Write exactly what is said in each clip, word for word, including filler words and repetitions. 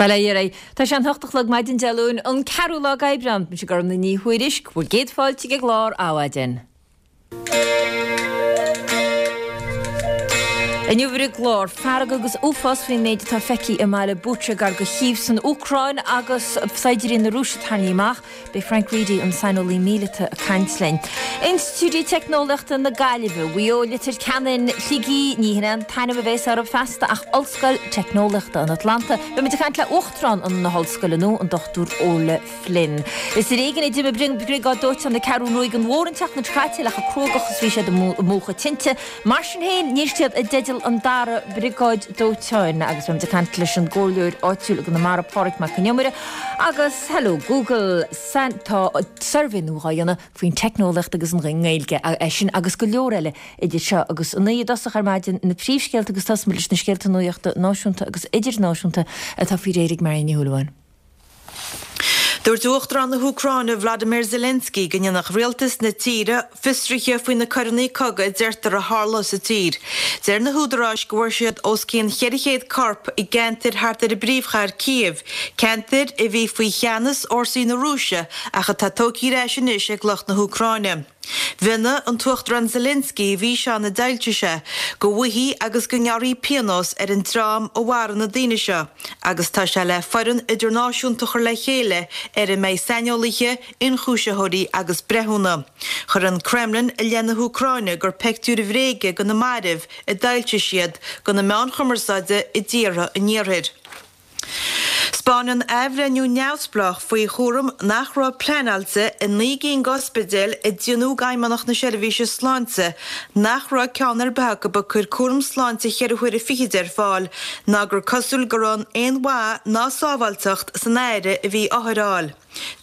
Bail ó Dhia oraibh. Tá sé an hocht a chlog maidin Dé Luain, an ceathrú lá d'Aibreán. Mise Gormfhlaith Ní Thuairisg, bhur gcéad fáilte ag an gclár Adhmhaidin. Inniu ar an gclár, fearg agus uafás faoin méid atá feicthe i mbaile Bucha gar do Chív san Úcráin agus saighdiúirí na Rúise tarraingthe amach. Beidh Frank Reidy, an saineolaí míleata, ag caint linn. Institiúidí Teicneolaíochta na Gaillimhe, Mhaigh Eo, Leitir Ceanainn, Shligigh, ní hin é an t-ainm a bheas orthu feasta ach Ollscoil Teicneolaíochta an Atlanta. Beidh muid ag caint le Uachtarán na hOllscoile nua, an Dochtúir Orla Flynn. Is ar éigean a d'imigh Briogáid Dóiteáin na Ceathrún Rua an Mhór an tseachtain seo caite le chomh cruógach is bhí siad ag múchadh tinte. Mar sin féin, níl siad i dteideal an dara Briogáid Dóiteáin agus beidh muid ag caint leis an gcomhairleoir áitiúil i gConamara, Pádraig Mac Con Iomaire agus Hello Google. Tá suirbhé nua á dhéanamh faoin teicneolaíocht agus an nGaeilge, é sin agus go leor eile idir seo agus a naoi i dtosach ar maidin, na príomhscéalta agus tosóimid leis na scéalta nuachta náisiúnta agus idirnáisiúnta atá faoi réir ag Marion Ní Shúilleabháin. Dúirt Uachtarán na hÚcráine Vladimir Zelensky go ndéanfadh rialtas na tíre fiosruithe faoi na coireanna cogaidh a deirtear a tharla sa tír. Deir na húdaráis go bhfuair siad os cionn cheithre chéad corp i gceantair thart ar an bpríomhchathair Cív, ceantair a bhí faoi cheannas fhórsaí na Rúise ach atá tógtha ar ais anois ag lucht na hÚcráine. Mhionnaigh an tUachtarán Zelensky i bhfíseán a d'fhoilsigh sé go bhfaighfí agus go ngearrfaí pionós ar an dream a mharaigh na daoine seo agus tá sé le foireann idirnáisiúnta a chur le chéile ar a mbeidh saineolaithe, ionchúisitheoirí agus breithiúna. Chuir an Kremlin i leith na hÚcráine gur peictiúir bhréige de na mairbh a d'fhoilsigh siad do na meáin chumarsáide i dtíortha an Iarthair. 'Spáineann athbhreithniú neamhspleách faoi chúram nach raibh pleanáilte i naoi gcinn d'ospidéil a deimhníodh d'Fheidhmeannacht na Seirbhíse Sláinte nach raibh ceann ar bith acu ag cur cúram sláinte cheithre huaire fichid ar fáil ná gur cosúil go raibh aon mhaith ná sábháilteacht san aire a bhí othair a fháil.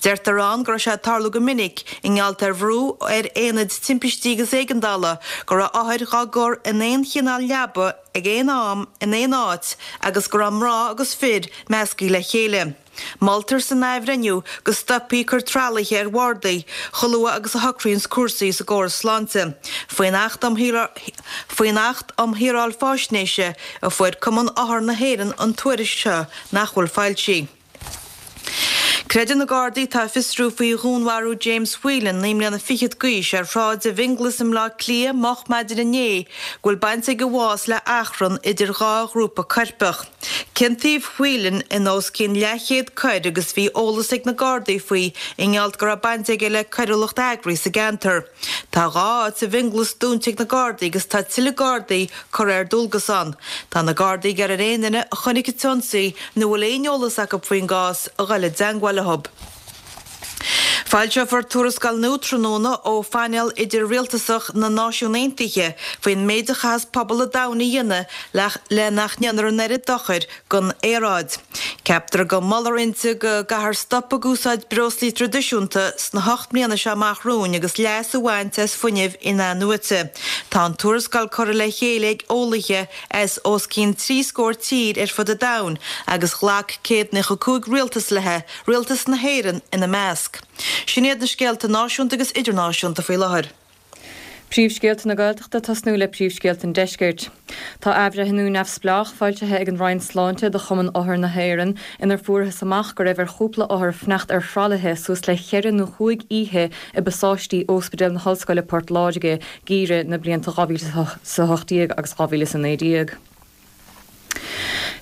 Deirtear ann go raibh sé ag tarlú go minic, i ngeall ar bhrú ar aonaid timpistí agus éigeandála, go raibh othair dhá gcur in aon chineál leaba ag aon am in aon áit agus go raibh mná agus fir measctha le chéile. Moltar san athbhreithniú go stopfaí cur tralaithe ar bhardaí chomh luath agus a shocraíonns cúrsaí sa gcóras sláinte. Faoin Acht um Faoin Acht um Shaoráil Faisnéise a fuair Cumann Othar na hÉireann an tuairisc seo nach bhfuil foilsithe. Creideann na Gardaí atá ag fiosrú faoi dhúnmharú James Whelan, naoi mbliana fichead d'aois, ar shráid i bhFionnghlas i mBleá Cliath moch maidin inné go bhfuil baint ag a bhás le achrann idir dhá ghrúpa coirpeach. Ciontaíodh Whelan in os cionn leathchéad coir agus bhí eolas ag na Gardaí faoi i ngeall go raibh baint aige le coiriúlacht eagraithe sa gceantar. Tá dhá áit i bhFionnghlas dúnta ag na Gardaí agus tá tuilleadh Gardaí curtha ar dualgas ann. Tá na Gardaí ag iarraidh ar aon duine a chonaic an t-ionsaí nó a bhfuil aon eolas acu faoin gcás a dhul i dteangmháil leo. Foilseofar tuarascáil nua tráthnóna ó Phainéal Idir-Rialtasach na Náisiún Aontaithe faoin méid a chaitheas pobal an domhain a dhéanamh le nach ndéanfar an oiread dochair don aeráid. Ceaptar go molfar inti go gcaithfear stop ag úsáid breoslaí traidisiúnta sna hocht mbliana seo amach romhainn agus leas a bhaint as fuinneamh in-athnuaite. Tá an tuarascáil curtha le chéile ag eolaithe as os cionn trí scór tír ar fud an domhain agus ghlac céad nócha cúig rialtas léi, rialtas na hÉireann ina measc. Sin iad na scéalta náisiúnta agus idirnáisiúnta faoi láthair. Príomhscéalta na Gaeltachta tosnú le príomhscéalta an Deiscirt. Tá athbhreithniú neamhspleách foilsithe ag an Roinn Sláinte do Chumann Othar na hÉireann inar fuarthas amach go raibh ar chúpla othar fanacht ar thralaithe suas le cheithre nó chúig oíche i bpasáistí Ospidéal na hOllscoile Port Láirge geimhreadh na blianta dhá mhíle is a hocht déag agus dhá mhíle is a naoi déag.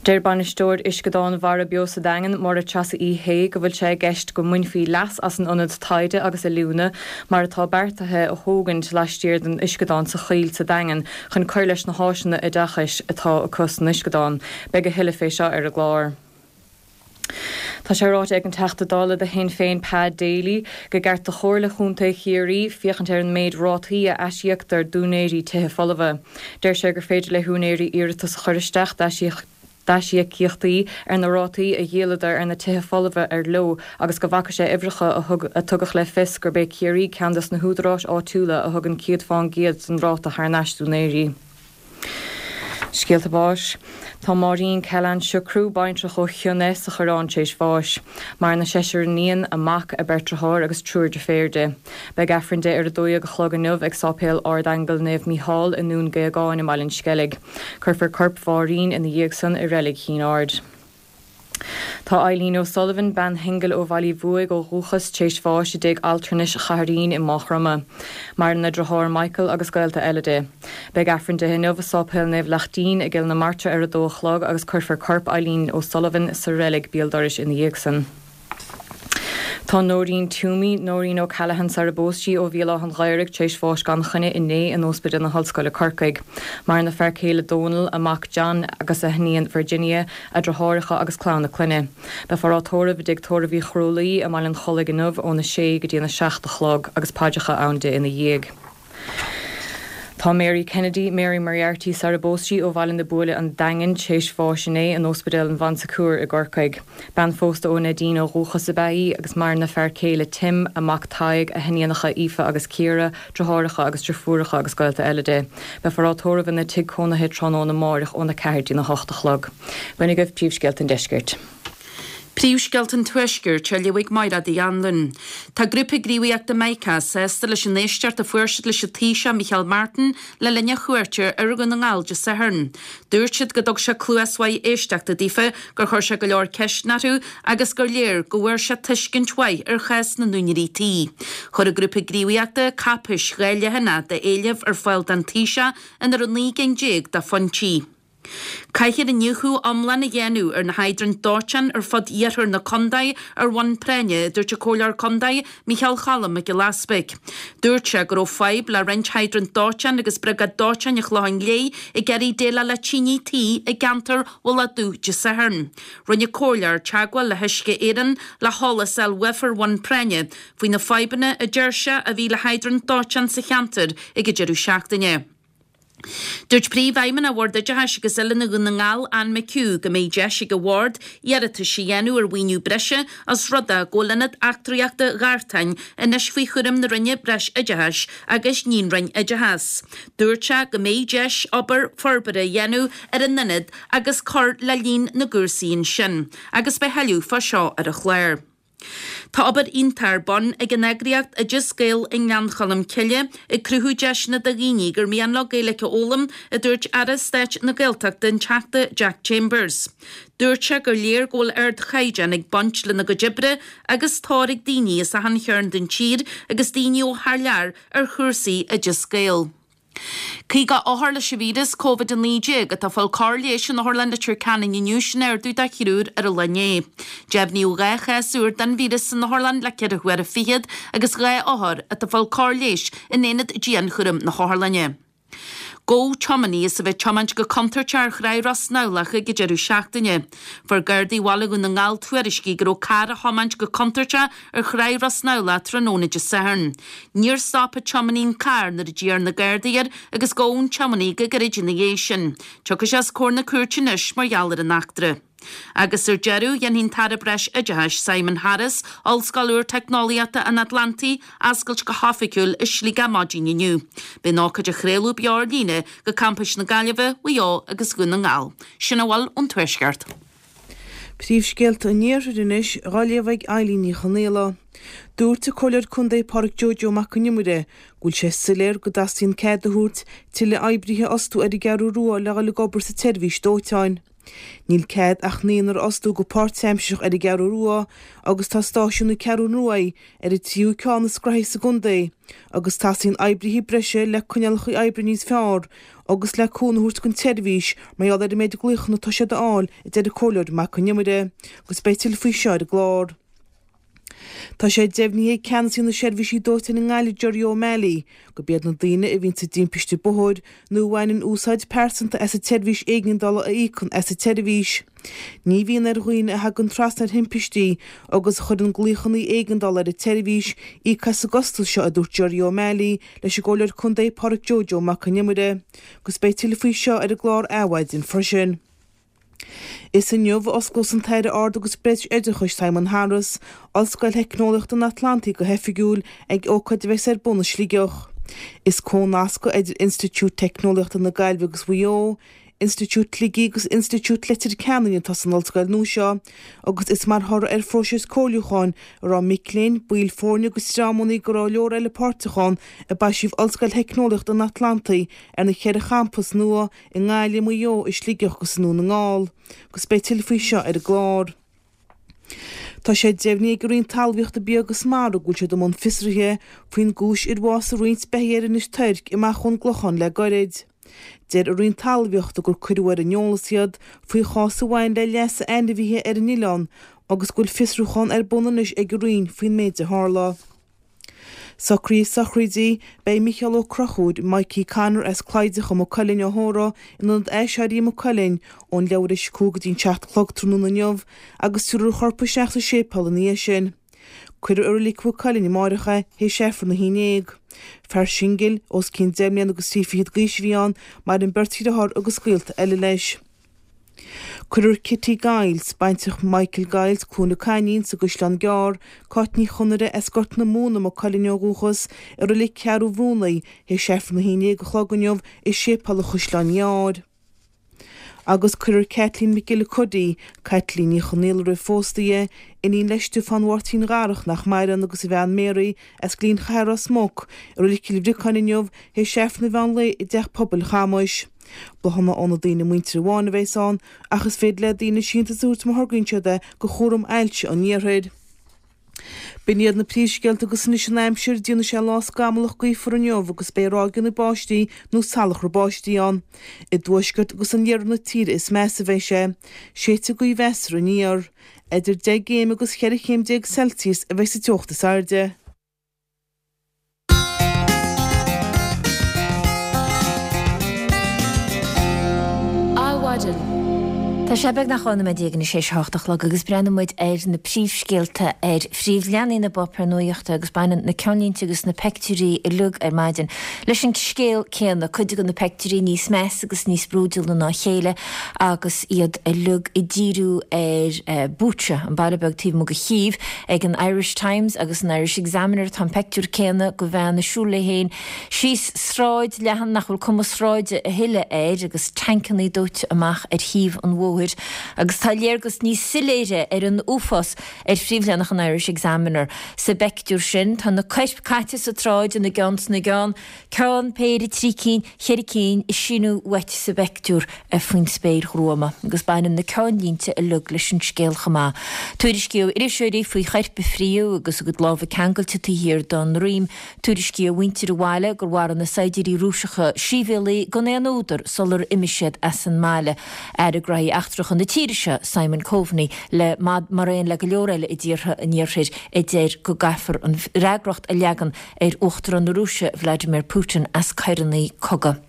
Deir bainisteoir Uisceadán Mhara Beo sa Daingean, Máire Treasa Uí Shé, go bhfuil sé i gceist go mbainfí leas as an ionad taighde agus oiliúna mar atá beartaithe a thógaint laistiar den uisceadán sa Choill sa Daingean chun cur leis na háiseanna oideachais atá acu san uisceadán. Beidh a thuilleadh fé seo ar an gclár. Tá sé ráite ag an Teachta Dála do Shinn Féin Pa Daly gur ceart do Chomhairle Chontae Chiarraí féachaint ar an méid rátaí a aisíoctar d'úinéirí tithe folmha. Deir sé gur féidir le húinéirí iarratas a chur isteach d'aisíocaíochtaí ar na rátaí a dhíoladar ar na tithe folmha ar leo agus go bhfaca sé uimhreacha a thug a tugadh le fios gurb é Ciarraí ceann des na húdaráis áitiúla a thugann céad fán gcéad den ráta thar n-ais d'úinéirí. Scéalta báis. Tá Máirín Callahan Siochrú, baintreach ó Chionn Eith sa Choireán tar éis bháis. Maireann a seisear iníon, a mac, a beirt deartháir agus triúr deirféar di. Beidh Aifreann di ar a dó dhéag a chlog inniu ag Sáipéal Ard-Aingeal Naomh Mícheál i nDún Géagáin i mBaile an Sceilg. Cuirfear corp Mháirín ina dhiaidh san i Reilig Chinn Aird. Tá Eileen O'Sullivan, bean shingil ó Bhaile Uí Bhuaigh ó dhúchas, tar éis bháis i dtigh altranais Chathair Fhinn i Maigh Chromtha. Maireann a deartháir Michael agus gaolta eile di. Beidh Aifreann di inniu i Sáipéal Naomh Lachtaín i gCill na Martra ar a dó a chlog agus cuirfear corp Eileen O'Sullivan sa reilig béal dorais ina dhiaidh san. Tá Nóirín Toomey, Nóirín O'Callaghan sar a bpós sí ó Bhéal Átha an Ghaorthaidh tar éis bháis gan choinne inné in Ospidéal na hOllscoile Corcaigh. Maireann a fear céile Dónal, a mac John agus a hiníon Virginia, a deartháireacha agus clann a clainne. Beifear á tórramh i dtigh tórraimh Uí Chrualaoi i mBaile an Chollaigh inniu óna sé go dtí an a seacht a chlog agus paidreacha ann di ina dhiaidh. Tá Mary Kennedy, Mary Moriarty sar a bpós sí ó Bhaile na Buaile an Daingean tar éis bháis inné in Ospidéal an Bhonn Secours i gCorcaigh. Bean phósta ó Neidín ó dhúchas ab ea í agus maireann a fear céile Tim, a mac Tadhg, a hiníonacha Aoife agus Ciara, deartháireacha agus deirfiúracha agus gaolta eile di. Beifear á tórramh ina tigh cónaithe tráthnóna amárach óna ceathair dtína hocht a chlog. B'in agaibh príomhscéalta an deiscirt. Príomhscéalta an Tuaiscirt á léamh ag Máire Uí Anluain. Tá grúpa gníomhaíochta Mica sásta leis an éisteacht a fuair siad leis an Taoiseach Micheál Martin le linn a chuairte ar Dhún na nGall Dé Sathairn. Dúirt siad go dtug sé cluas mhaith éisteachta daofa, gur chuir sé go leor ceisteanna orthu agus gur léir go bhfuair sé tuiscint mhaith ar chás na n-úinéirí tí. Chuir an grúpa gníomhaíochta cáipéis dhá leathanach d'éilimh ar fáil don Taoiseach ina raibh naoi gcinn déag de phointí. Caithfear iniúchadh iomlán a dhéanamh ar na hiodraint dóiteáin ar fud iarthar na contae ar bhonn práinne, a dúirt an Comhairleoir Contae Micheál Cholm Mac Giolla Easpaig. Dúirt sé go raibh fadhb le roinnt hydrant dóiteáin agus briogáid dóiteáin an Chlocháin Léith ag iarraidh déileáil le tine tí i gceantar Mhullach Dubh Dé Sathairn. Rinne an Comhairleoir teagmháil le hUisce Éireann le heolas a fháil uafa ar bhonn práinne faoi na fadhbanna a deir sé a bhí le hiodraint dóiteáin sa cheantar ag an deireadh seachtaine. Dúirt Príomhfheidhmeannach Bhord Oideachais agus Oiliúna Dhún na nGall, Anne McHugh, go mbeidh deis ag an bhord iarratais a dhéanamh ar mhaoiniú breise os rud é go bhfuil Ionad Eachtraíochta Ghartáin anois faoi chúram na Roinne Breis Oideachais agus ní an Roinn Oideachais. Dúirt sé go mbeidh deis obair forbartha a dhéanamh ar an ionad agus cur le líon na gcúrsaí ansin agus beidh tuilleadh fá seo ar an chlár. Tá obair iontach ar bun ag an eagraíocht Oideas Gael i nGleann Cholm Cille ag cruthú deiseanna do dhaoine gur mian leo Gaeilge a fhoghlaim, a dúirt Aire Stáit na Gaeltachta an Teachta Jack Chambers. Dúirt sé gur léir go bhfuil ardchaighdeán ag baint lena gcuid oibre agus tóir ag daoine as achan chearn den tír agus daoine ó thar lear ar chúrsaí Oideas Gael. Caoga othar leis an víreas Covid a naoi déag atá ag fáil cóir leighis in Otharlann Leitir Ceanainn inniu, sin ardú de thriúr ar an lá inné. Deimhníodh dhá chás úr den víreas san otharlann le ceithre huaire fichead agus dhá othar atá ag fáil cóir leighis in aonad dianchúraim na hotharlainne. Gabhadh tiománaí as a bheith ag tiomáint go contúirteach ar Thráigh Ros nAbhlach ag an deireadh seachtaine. Fuair Gardaí Bhaile Dhún na nGall tuairiscí go raibh carr á thiomáint go contúirteach ar Thráigh Ros nAbhlach tráthnóna Dé Sathairn. Níor stop an tiománaí an carr nuair a d'iarr na Gardaí air agus gabhadh an tiománaí go gairid ina dhiaidh sin. Tiocfaidh sé os comhair na cúirte anois mar gheall ar an eachtra. Agus ar deireadh, dhéanfaidh an tAire Breis Oideachais Simon Harris Ollscoil úr Teicneolaíochta an Atlantaigh a oscailt go hoifigiúil i Sligeach maidin inniu. Beidh an ócáid á chraoladh beo ar líne go campais na Gaillimhe, Mhaigh Eo agus Dhún na nGall. Sin a bhfuil ón Tuaisceart. Príomhscéalta an Iarthair anois dhá léamh ag Eilín Ní Chonaola. Dúirt an Comhairleoir Contae Pádraic Joe Joe Mac Con Iomaire go bhfuil sé soiléir go dteastaíonn cead a thabhairt tuilleadh oibrithe a fhostú ar an gCeathrú Rua le dhul ag obair sa tseirbhís dóiteáin. Níl cead ach naonúr a fhostú go páirtaimsearach ar an gCeathrú Rua agus tá stáisiún na Ceathrún Ruaidh ar an tríú ceann is graithí sa gcontae agus teastaíonn oibrithe breise le coinníollacha oibre níos fearr agus le cúnamh a thabhairt don tseirbhís mar gheall ar an méid glaochanna atá siad a fháil, a deir an Comhairleoir Mac Con Iomaire, agus beidh tuilleadh faoi seo ar an gclár. Tá sé deimhnithe ag Ceannasaí na Seirbhísí Dóiteáin i nGaillimh Gerry O'Malley gurb iad na daoine a bhíonn i dtimpiste bóthair nó a bhaineann úsáid pearsanta as an tseirbhís éigeandála a íocann as an tseirbhís. Ní bhíonn ar dhaoine a thagann trasna ar thimpistí agus a chuireann glaochanna éigeandála ar an tseirbhís íoc as an gcostas seo, a dúirt Gerry O'Malley leis an gComhairleoir Contae Pádraic Joe Joe Mac Con Iomaire agus beidh tuilleadh faoi seo ar an gclár Adhmhaidin freisin. Is inniu a osclós an tAire Ard agus Breis-Oideachais Simon Harris Ollscoil Theicneolaíochta an Atlantaigh go hoifigiúil ag ócáid a bheas ar bun i Sligeach. Is comhnascadh idir Institiúid Teicneolaíochta na Gaillimhe agus Mhaigh Eo, Institiúid Shligigh agus Institiúid Leitir Ceanainn atá san ollscoil nua seo agus is mar thoradh ar phróiseas comhairliúcháin a raibh mic léinn, baill foirne agus dreamanna go leor eile páirteach ann a baisíodh Ollscoil Theicneolaíochta an Atlantaigh ar na ceithre champas nua i nGaillimh, Maigh Eo, i Sligeach agus i nDún na nGall, agus beidh tuilleadh faoi seo ar an gclár. Tá sé deimhnithe ag an Roinn Talmhaíochta Bia agus Mara go bhfuil siad i mbun fiosraithe faoin gcúis ar bhásaigh roinnt beithígh ar Inis Toirc amach ón gClochán le gairid. Deir an Roinn Talmhaíochta gur cuireadh ar an eolas iad faoi chás a bhain le leas ainmhithe ar an oileán agus go bhfuil fiosrúchán ar bun anois ag an Roinn faoin méid a tharla. Socruithe sochraide, Beidh Micheál Ó Conchúir, Mikey Connor as Cloideach i Maigh Cuilinn á thórramh in Ionad Aiséirí Mhaigh Cuilinn ón leathuair tar éis a cúig go dtí an seacht a chlog tráthnóna inniu agus tabharfar a chorp isteach sa séipéal ina dhiaidh sin. Cuirfear i Reilig Mhaigh Cuilinn amárach é théis Aifreann a haon déag. Fear singil, os cionn deich mbliana agus trí fichead d'aois a bhí ann, maireann beirt dheartháir agus gaolta eile leis. Cuirfear Kitty Giles, baintreach Michael Giles, Cluain na Cailín, sa gCaisleán Gearr, Cáit Ní Chonaire as Gort na Móna, Maigh Cuilinn ó dhúchas, i Reilig Cheathrú Bhrúnaí, théis Aifreann a haon déag a chlog inniu i Séipéal an Chaisleáin Ghearr. Agus cuirfear Kathleen McGillicuddy, Caitlín Ní Chonaola roimh phósta í, iníon le Stiofán Mháirtín Dharach nach maireann agus a bhean Mary as Gleann Chathair Ros Muc, i Reilig Chill Bhriocáin inniu théis Aifreann an mheán lae i dTeach Pobail Chamais. Bláthanna ó na daoine muinteartha amháin a bheas ann ach is féidir le daoine síntiús a thabhairt má thograíonn siad é do Chúram Ailse an Iarthair. B'in iad na príomhscéalta agus anois an aimsir, déanfaidh sé lá scamallach gaofar inniu agus beidh ráigeanna báistí nó salachar báistí ann. I dtuaisceart agus in iarthar na tíre is measa a bheidh sé. Séidfidh gaoth mheasartha aniar. Idir deich gcéim agus cheithre chéim déag Celsius a bheidh sa teocht is airde. Adhmhaidin. Tá sé beagnach dhá nóiméad déag anois théis a hocht a chlog agus breathnóidh muid ar na príomhscéalta ar phríomhleathanaigh na bpáipéar nuachta agus baineann na ceannlínte agus na peictiúirí uilig ar maidin leis an scéal céanna, cuid de na peictiúirí níos measa agus níos brúidiúla ná a chéile agus iad uilig ag díriú ar Bucha, an baile beag taobh amuigh de Chív, ag an Irish Times agus an Irish Examiner tá an peictiúr céanna de bhean ag siúl léi féin síos sráid leathan nach bhfuil cuma sráide a thuilleadh air agus tancannaí dóite amach ar thaobh an bhóthair agus tá léargas níos soiléire ar an uafás ar phríomhleathanach an Irish Examiner. Sa bpeictiúr sin tá na coirp caite sa tsráid ina gceann sna gceann, ceann, péire, trí cinn, cheithre cinn ag síneadh uait sa bpeictiúr faoin spéir ghruama agus baineann na ceannlínte uilig leis an scéal chomh maith. Tuairiscí ó iriseoirí faoi choirp a fríothadh agus a gcuid lámha ceangailte taobh thiar dá ndroim. Tuairiscí ó mhuintir an bhaile gur mharaigh na saighdiúirí Rúiseacha sibhialaigh gan aon údar sular imigh siad as an mbaile. Aire Gnóthaí Eachtracha na tíre seo, Simon Coveney, le mar aon le go leor eile i dtíortha an Iarthair a deir go gcaithfear an fhreagracht a leagan ar Uachtarán na Rúise, Vladimir Putin, as coireanna cogaidh.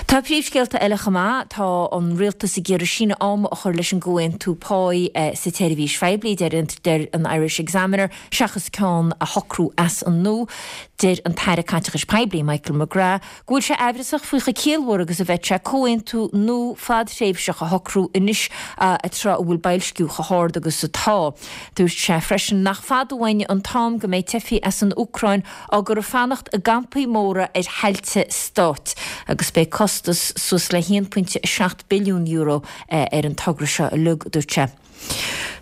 Tá príomhscéalta eile chomh maith. Tá an rialtas ag iarraidh síneadh ama a chur leis an gcomhaontú páí sa tseirbhís phoiblí, deir an Irish Examiner, seachas ceann a shocrú as an nua. Deir an tAire Caiteachais Poiblí, Michael McGrath, go bhfuil sé aimhreasach faoi chomh ciallmhar agus a bheadh sé comhaontú nua fadthréimhseach a shocrú anois tráth a bhfuil boilsciú chomh hard agus atá. Dúirt sé freisin nach fada uainn an t-am go mbeidh teifigh as an Úcráin á gcur ag fanacht i gcampaí móra ar thailte stáit agus beidh costas suas le haon pointe a seacht billiún euro ar an togra seo uilig, dúirt sé.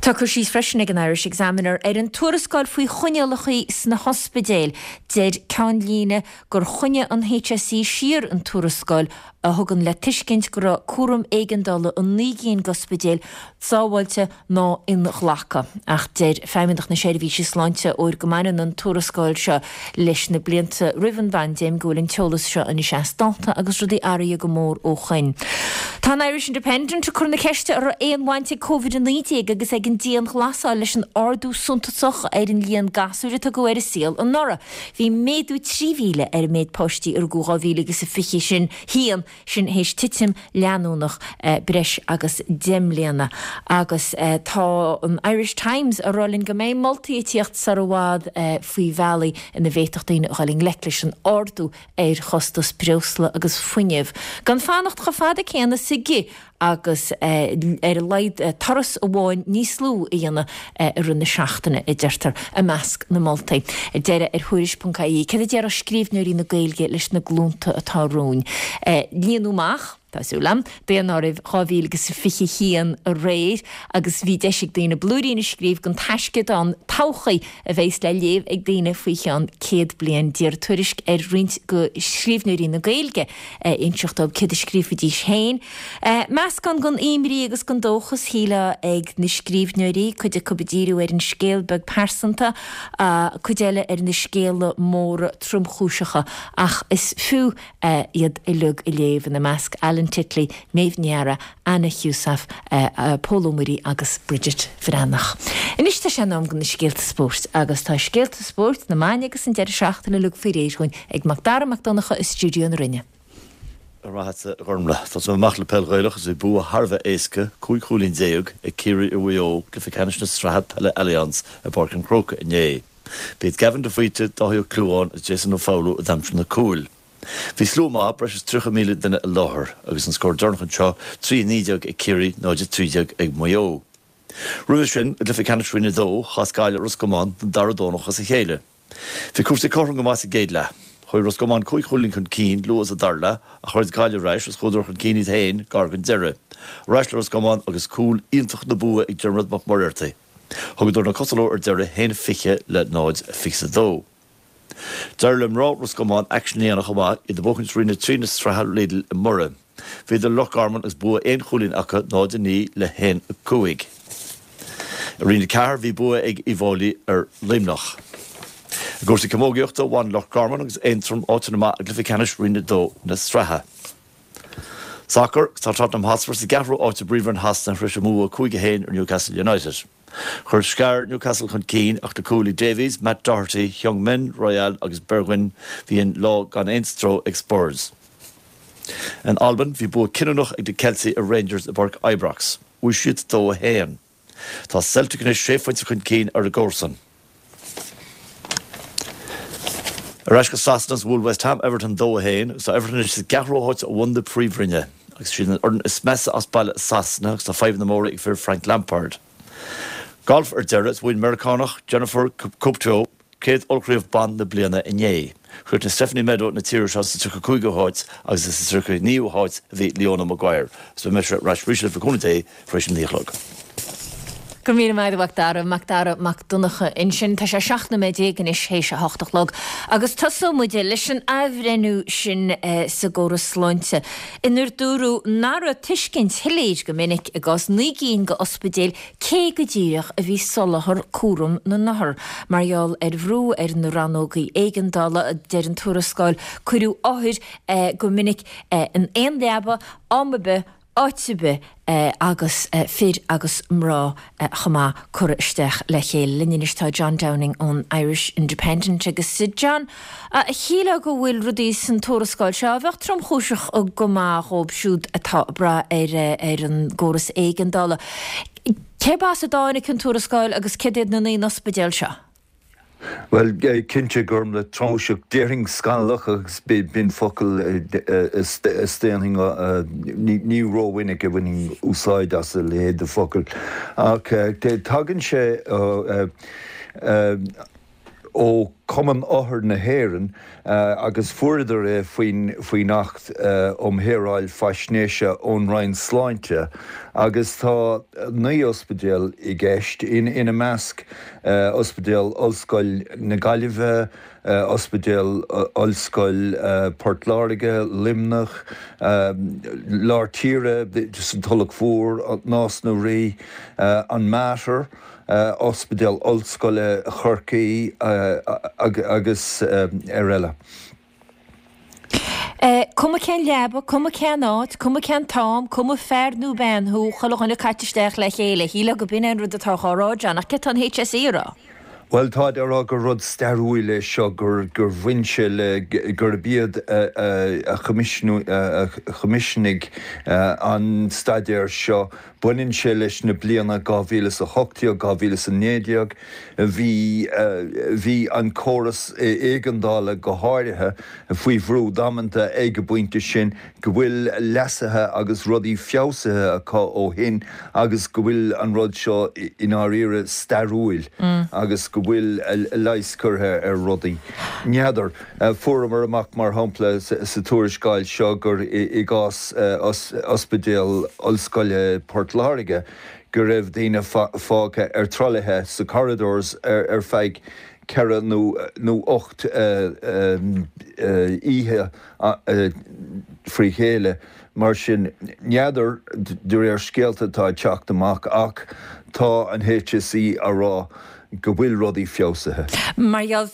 Tá cur síos freisin ag an Irish Examiner ar an tuarascáil faoi choinníollacha sna hospidéil. Deir ceannlíne gur choinnigh an HSE siar an tuarascáil a thugann le tuiscint go raibh cúram éigeandála i naoi gcinn d'ospidéil sábháilte ná inghlactha. Ach deir Feidhmeannacht na Seirbhíse Sláinte, óir go mbaineann an tuarascáil seo leis na blianta roimh an bpaindéim, go bhfuil an t-eolas seo anois as dáta agus rudaí athraithe go mór ó shoin. Tá an Irish Independent ag cur na ceiste an raibh aon bhaint ag Covid a naoi déag agus ag an dianghlasáil leis an ardú suntasach ar an líon gasúir a tugadh ar an saol anuraidh. Bhí méadú trí mhíle ar an méid páistí a rugadh dhá mhíle agus a fiche sin haon, sin théis titim leanúnach breis agus deich mbliana. Agus tá an Irish Times ag rá linn go mbeidh moltaí ag tíocht sar i bhfad faoi bhealaí ina bhféadfadh daoine a dhul i ngleic leis an ardú ar chostas breosla agus fuinnimh, gan fanacht chomh fada céanna sa gcith agus ar a laghad turas amháin níos lú a dhéanamh i rith na seachtaine, a deirtear i measc na moltaí. Ar deireadh, ar Thuairisc ponc ie, céard a déarfadh scríbhneoirí na Gaeilge leis na glúnta atá romhainn? Líonadh amach. tá súil agam, daonáireamh dhá mhíle agus fiche haon aréir agus bhí deis ag daoine blúirín a scríobh don taisceadán todhchaí a bheas le léamh ag daoine faoi cheann céad bliain. D'iarr Tuairisc ar roinnt de scríbhneoirí na Gaeilge inseacht dóibh céard a scríobhfaidís féin. Meascán den imní agus den dóchas, shílfeá, ag na scríbhneoirí, cuid acu ag díriú ar an scéal beag pearsanta, cuid eile ar na scéala móra tromchúiseacha ach is fiú iad uilig a léamh, ina measc Alan Titley, Méabh Ní Eadhra, Anna Heussaff, Pól Ó Muirí agus Bridget Bhreathnach. Anois tá sé in am do na scéalta spóirt agus tá scéalta spóirt na maidine agus an deireadh seachtaine uilig faoi réir dhúinn ag Mac Dara Mac Donncha i stiúideo na Rinne. Go raibh maith agat, a Ghormlaith. Tosóidh mé amach le peil Ghaelach agus bhí bua thar a bheith éasca, cúig chúilín déag, ag Ciarraí ar Mhaigh Eo i gcluiche ceannais na Sraithe Peile Allianz i bPáirc an Chrócaigh inné. B'iad Gavin de Faoite, Dáithí Ó Clúmháin agus Jason Ó Foghlú a d'aimsigh na cúil. Bhí slua maith, breis is tríocha míle duine i láthair, agus an scór deireanach anseo, trí a naoi déag ag Ciarraí, náid a trí déag ag Maigh Eo. Roimhe sin, i gcluiche ceannais Roinn a dó, chas Gaillimh Ros Comáin don dara Domhnach as a chéile. Bhí cúrsaí cothrom go maith sa gcéad leath. Chuaigh Ros Comáin cúig chúilín chun cinn luath sa dara leath ach throid Gaillimh ar ais agus chuadar chun cinn iad féin gar don deireadh. Ar ais le Ros Comáin agus cúl iontach na bua ag Diarmuid Mac Muircheartaigh. Thugadar na cosa leo ar deireadh, a haon fiche le náid fiche a dó. D'éirigh le mná Ros Comáin aicsean a dhéanamh chomh maith, iad ag buachaint Roinn a trí na Sraithe Lidl i mBoirinn. Bhíodar le Loch Garman agus bua aon chúilín acu, náid a naoi le haon a cúig. I Roinn a ceathair bhí bua ag Uíbh Fhailí ar Luimneach. I gcúrsaí camógaíochta, bhain Loch Garman agus Aontroim áiteanna maith i gcluiche ceannais Roinn a dó na sraithe. Sacar, Tá Tottenham Hotspur sa gceathrú áit i bPríomhroinn Shasana tar éis a mbua cúig a haon ar Newcastle United. Chuir Schär Newcastle chun cinn ach le cúil ag Davies, Matt Doherty, Heung-min, Royal agus Bergwijn bhí an lá gan aon stró ag Spurs. In Albain bhí bua cinniúnach ag na Ceiltigh ar Rangers i bPáirc Ibrox. Bhuaigh siad dó a haon. Tá Celtic anois sé phointe chun cinn ar a gcomharsain. Ar ais go Sasana is bhuail West Ham Everton dó a haon agus tá Everton anois sa gceathrú háit ó bhun na Príomhroinne agus siad an fhoireann is measa as baile i Sasana agus tá fadhbanna móra ag fir Frank Lampard. Galf ar deireadh is bhuaigh an Meiriceánach Jennifer Caputo céad ollchraobh ban na bliana inné. Chríochnaigh Stephanie Meadow na tíre seo sa tríocha cúigiú háit agus is sa tríocha naoú háit a bhí Leona Maguire. Is beidh mise ar ais arís libh le cúnamh Dé tar éis a naoi a chlog. Go raibh míle maith agat a Mhac Dara, Mac Dara Mac Donncha ansin. Tá sé seacht nóiméad déag anois théis a hocht a chlog agus tosóidh muid leis an athbhreithniú sin sa gcóras sláinte inar dúradh nach raibh tuiscint shoiléir go minic i gcás naoi gcinn de ospidéil cé go díreach a bhí soláthar cúram na n-othar. Mar gheall ar bhrú ar na rannógaí éigeandála, a deir an tuarascáil, cuireadh othair go minic in aon leaba, am ar bith, áit ar bith agus fir agus mná chomh maith curtha isteach le chéile. Linn anois tá John Downing ón Irish Independent agus John, shílfeá go bhfuil rudaí san tuarascáil seo a bheadh tromchúiseach go maith dhóibh siúd atá ag brath ar ar an gcóras éigeandála. Cérb as a dtáinig an tuarascáil agus céard iad na naoi n-ospidéal seo? Bhuel, cinnte, Gormlaith, tromchúiseach, déarfainn scannalach agus b'in focal a staonfainn, ní rómhinic a bhainfinn úsáid as a leithéid de focal. Ach tagann sé ó Chumann Othar na hÉireann agus fuaireadar é faoin Acht um Shaoráil Faisnéise ón Roinn Sláinte agus tá naoi ospidéal i gceist, ina measc Ospidéal Ollscoil na Gaillimhe, Ospidéal Ollscoil Port Láirge, Luimneach, Lár Tíre, sa Tulach Mhór, Nás na Rí, an Mater, Ospidéal Ollscoile Chorcaí agus ar eile. Cuma cén leaba, cuma cén áit, cuma cén t-am, cuma fear nó bean thú, chuile dhuine caite isteach le chéile. Shílfeá go b'in é an rud atá á rá, John, ach céard tá an H S E a rá? Bhuel, táid á rá gur rud stairiúil é seo, gur bhain sé le, gurb iad a choimisiúnaigh an staidéar seo. Baineann sé leis na bliana dhá mhíle is a hocht déag, dhá mhíle is a naoi déag. Bhí, bhí an córas éigeandála go háirithe faoi bhrú damanta ag an bpointe sin, go bhfuil leasuithe agus rudaí feabhsaithe acu ó shin agus go bhfuil an rud seo i ndáiríre stairiúil agus go go bhfuil leigheas curtha ar rudaí. N'fheadar. Fuaireamar amach mar shampla sa tuarascáil seo gur i gcás Ospidéal Ollscoile Port Láirge go raibh daoine fágtha ar trolaithe sa corridors ar feadh ceithre nó ocht oíche frí chéile. Mar sin, n'fheadar de réir scéalta atá ag teacht amach ach tá an HSE á rá go bhfuil rudaí feabhsaithe. Mar gheall,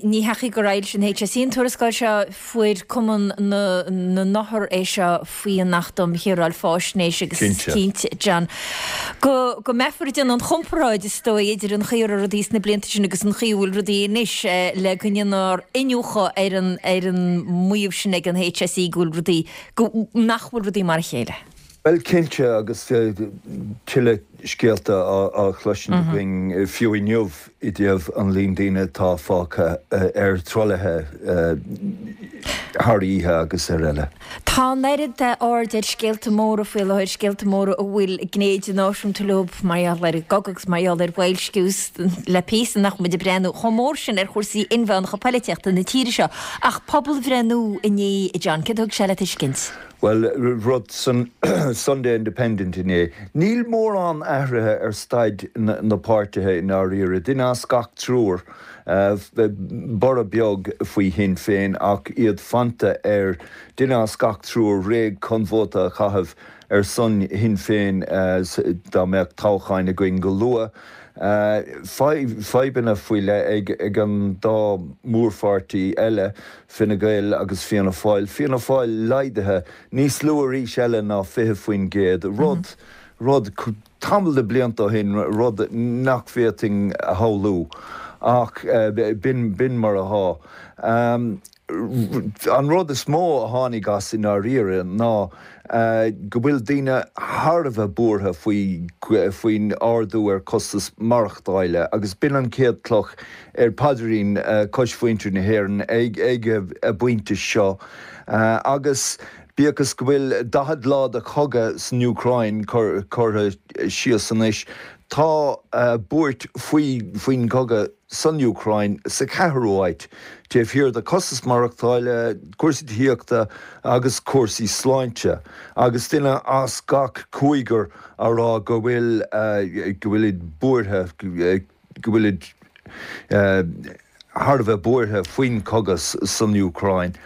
ní hé gur fhoilsigh an HSE an tuarascáil seo, fuair Cumann na nOthar é seo faoi an Acht um Shaoráil Faisnéise agus is cinnte, John, go go mbeifear ag déanamh an chomparáid is dóigh idir an chaoi a raibh rudaí sna blianta sin agus an chaoi a bhfuil rudaí anois le go ndéanfar iniúchadh ar an ar an maíomh sin ag an HSE go bhfuil rudaí, go nach bhfuil rudaí mar a chéile. Bhuel, cinnte, agus tuilleadh scéalta á chloisint againn fiú inniu i dtaobh an líon daoine atá fágtha ar trolaithe thar oíche agus ar eile. Tá an oiread aird ar scéalta móra faoi láthair, scéalta móra a bhfuil gné idirnáisiúnta leo mar gheall ar an gcogadh agus mar gheall ar bhoilsciú le píosa nach muid ag breathnú chomh mór sin ar chúrsaí inmheánacha polaitíochta na tíre seo. Ach pobalbhreithniú inné, John, céard a thug sé le tuiscint? Bhuel, rud san Sunday Independent inné, níl mórán athraithe ar staid na páirtithe i ndáiríre. Duine as gach triúr, borradh beag faoi Shinn Féin ach iad fanta ar duine as gach triúr réidh chun vóta a chaitheamh ar son Shinn Féin dá mbeadh toghcháin againn go luath. Fadhbanna faoi leith ag an dá mhórpháirtí eile, Fine Gael agus Fianna Fáil. Fianna Fáil laghdaithe níos lú arís eile ná fiche faoin gcéad, rud, rud tamall de blianta ó shin, rud nach bhféadfainn a shamhlú. Ach b'in, b'in mar atá. An rud is mó a tháinig as i ndáiríre ná go bhfuil daoine thar a bheith buartha faoi faoin ardú ar costas maireachtála agus b'in an chéad cloch ar phaidrín cois mhuintir na hÉireann ag ag an bpointe seo. Agus bíodh is go bhfuil daichead lá de chogadh san Úcráin curtha síos anois, tá buairt faoi faoin gcogadh san Úcráin sa cheathrú háit, taobh thiar de costas maireachtála, cúrsaí tithíochta agus cúrsaí sláinte, agus duine as gach cúigear á rá go bhfuil go bhfuilid buartha, go bhfuilid thar a bheith buartha faoin chogadh san Úcráin.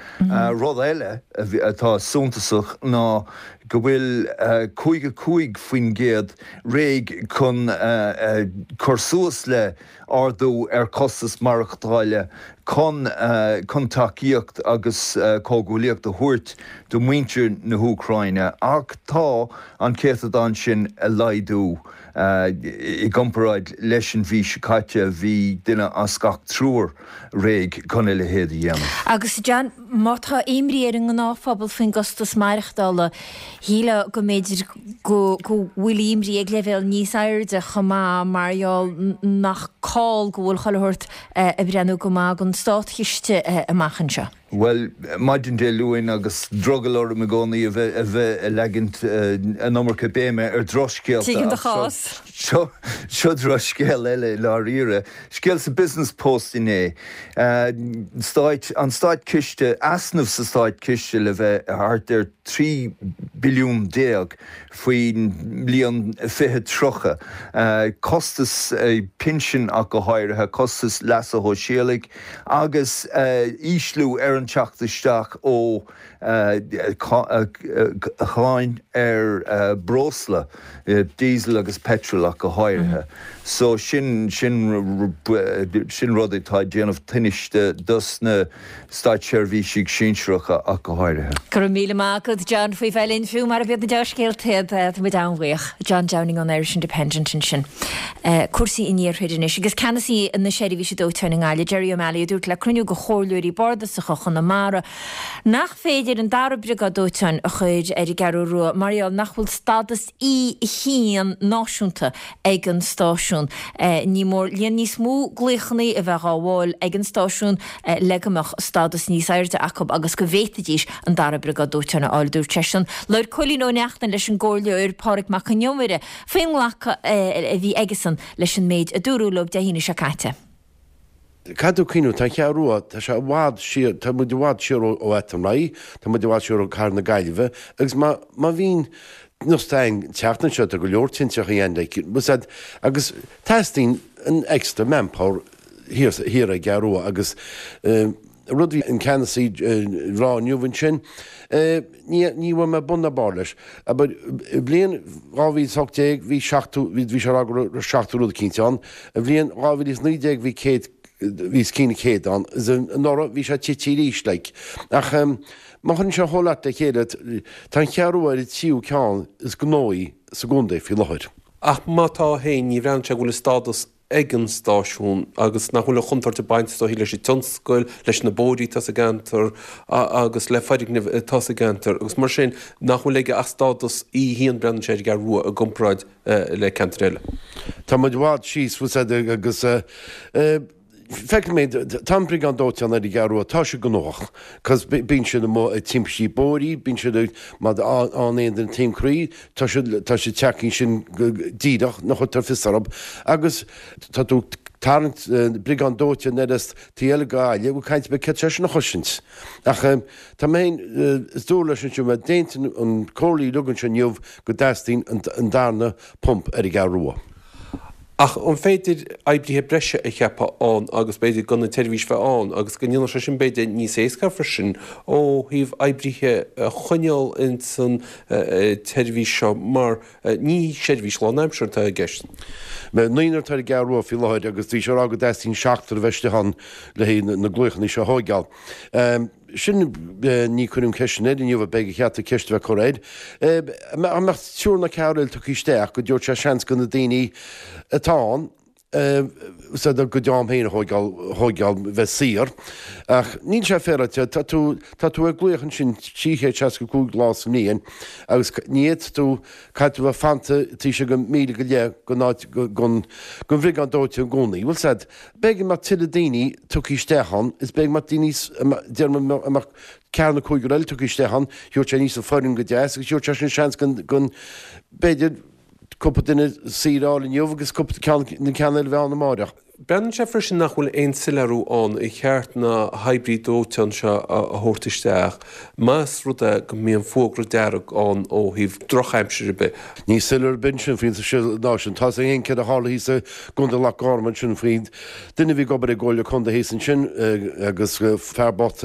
Rud eile atá suntasach ná go bhfuil caoga cúig faoin gcéad réidh chun cur suas le ardú ar chostas maireachtála chun chun tacaíocht agus comhghuaillíocht a thabhairt do mhuintir na hÚcráine, ach tá an céatadán sin ag laghdú. I gcomparáid leis an mhí seo caite, bhí duine as gach triúr réidh chun a leithéid a dhéanamh. Agus John, má tá imní ar an ngnáthphobal faoin gcostas maireachtála, shílfeá go mb'fhéidir go bhfuil imní ag leibhéal níos airde chomh maith mar gheall nach call go bhfuil chuile shórt ag breathnú go maith don státchiste amach anseo. Bhuel, maidin Dé Luain agus drogall orm i gcónaí a bheith a bheith ag leagaint an iomarca béime ar dhrochscéalta Tuigim do ach chás. seo seo drochscéal eile i ndáiríre. Scéal sa Business Post inné. Stáit, an státchiste, easnamh sa státchiste le bheith thart ar trí billiún déag faoin mbliain fiche tríocha. Costas pinsin ach go háirithe, costas leasa shóisialaigh agus ísliú ar an teacht isteach ó cháin ar breosla, diesel agus petrol ach go háirithe. So sin sin sin rud atá ag déanamh tinnis dos na státseirbhísigh sinsearacha ach go háirithe. Go raibh míle maith agat John faoi bheith linn fiú mar a bhíonn na dea-scéalta iad tá muid an-bhuíoch. John Downing ón Irish Independent ansin. Cúrsaí an iarthair anois agus ceannasaí na seirbhíse dóiteáin i nGaillimh, Jerry O'Malley, a dúirt le cruinniú de chomhairleoirí bardasacha Chonamara nach féidir an dara briogáid dóiteáin a chur ar an gCeathrú Rua mar gheall nach bhfuil stádas E a haon náisiúnta ag an stáisiún. Ní mór líon níos mó glaochanna a bheith á bhfáil ag an stáisiún le go mbeadh stádas níos airde acu agus go bhféadfaidís an dara briogáid dóiteáin a fháil, dúirt seisean. Labhair Cóilín Ó Neachtain leis an gcomhairleoir Pádraig Mac Con Iomaire faoin nglacadh a bhí aigesan leis an méid a dúradh leo Dé hAoine seo caite. Caithfidh tú cuimhniú, tá an Cheathrú Rua, tá sé i bhfad siar, tá muid i bhfad siar ó Athenry, tá muid i bhfad siar ó Cathair na Gaillimhe agus má má bhíonn nós againn an tseachtain seo tá go leor tintreachaí ann like, was that, agus teastaíonn an extra manpower thiar thiar ag an gCeathrú Rua agus eh, rud a bhí an ceannasaí ag rá inniu ansin, ní ní bhfuair mé bun ná barr leis. Abair, i bhliain dhá mhíle is a hocht déag bhí seachtó, bhí bhí sé ag rá go raibh seachtó rud eicínt ann, i bhliain dhá mhíle is naoi déag bhí céad, bhí os cionn céad ann, is anuraidh bhí sé tite arís like. Ach má chuireann sé an whole lot le chéile, tá an Cheathrú Rua ar an tríú ceann is gnóthaí sa gcontae faoi láthair. Ach má tá féin, ní bhreathnaíonn sé go bhfuil an stádas ag an stáisiún agus nach bhfuil an chontúirt ag baint is dóichí leis an tionscal, leis na bóithrí atá sa gceantar agus le foirgnimh atá sa gceantar agus mar sin nach bhfuil aige ach stádas í féin breathnaíonn sé ar an gCeathrú Rua i gcomparáid le ceantair eile. Tá muid i bhfad síos, bhfuil 's a'd, agus feicim, tá an briogáid dóiteáin ar an gCeathrú Rua, tá siad gnóthach, cos bíonn siad amuigh ag timpistí bóithre, bíonn siad ag, má tá aon duine taom croí, tá siad, tá siad tagtha ansin go díreach, nach chuirtear fios orthu, agus tá tú ag tarraingt briogáid dóiteáin ar an taobh eile de Ghaillimh, bhfuil caint ar bith céard é sin a chosaint. Ach tá mé féin, is dúradh leis ansin, bheith déanta an comhairle uilig anseo inniu go dteastaíonn an darna pump ar an gCeathrú Rua. Ach an féidir oibrithe breise a cheapadh ann agus b'fhéidir gan an tseirbhís bheith ann agus go ndéanfadh sé sin b'fhéidir níos éasca freisin ó thaobh oibrithe a choinneáil ins an tseirbhís seo mar ní seirbhís lánaimseartha atá i gceist. Naonúr atá ar an gCeathrú Rua faoi láthair agus bhí sé ag rá go dteastaíonn seachtar a bheith istigh ann le haghaidh na glaochanna seo a thóigeáil. Sin, ní cuireadh an cheist sin air inniu, beidh a cheart an cheist a bheith curtha air. An mbeadh triúr nó ceathrar eile tugtha isteach go dtabharfadh sé seans do na daoine atá ann a gcuid am féin a thóigeáil, thóigeáil, bheith saor. Ach níl sé féaráilte, tá tú, tá tú ag glaoch ansin trí chéad seasca cúig lá sa mbliain agus ní fhéadfaidh tú, caithfidh tú bheith fanta taobh istigh de mhíle go leith den áit, den, den bhriogáid dóiteáin i gcónaí. Bhfuil 's a'd, b'fhéidir go mbeadh tuilleadh daoine tugtha isteach ann, is b'fhéidir go mbeadh daoine, déarfaidh mé, go mbeadh ceathair nó cúigear eile tugtha isteach ann, thabharfadh sé aníos an foireann go deas agus thabharfadh sé sin seans go, go, b'fhéidir, cúpla duine saoire a fháil inniu agus cúpla ceann, na ceann eile a bheith ann amáireach. Breathnaíonn sé freisin nach bhfuil aon soiléiriú ann ar cheart na hoibrithe dóiteáin seo a thabhairt isteach más rud é go mbíonn fógra dearg ann ó thaobh drochaimsir ar bith. Níl soiléiriú ar bith ansin faoin ná sin. Tá 's againn céard a tharla thíos i gContae Loch Garman ansin faoi duine a bhí ag obair i gComhairle Contae thíos ansin agus fear bocht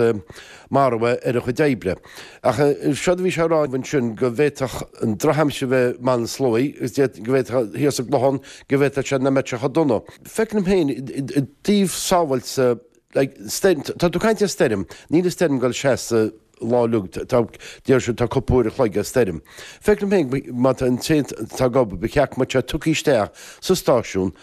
maraithe ar a chuid oibre. Ach seod a bhí sé a rá ansin go bhféadfadh an drochaimsir bheith i mBaile an tSlóigh agus go bhféadfadh thíos sa gClochán go bhféadfadh sé nach mbeadh sé chomh dona. Feicim féin i dtaobh sábháilte like stoirm, tá tú ag caint ar stoirm, níl an stoirm ag dul seasamh lá uilig, tá, deir siad tá cúpla uair a chloig ar stoirm. Feicim féin má tá an té atá ag obair, ba cheart go mbeadh sé tugtha isteach sa stáisiún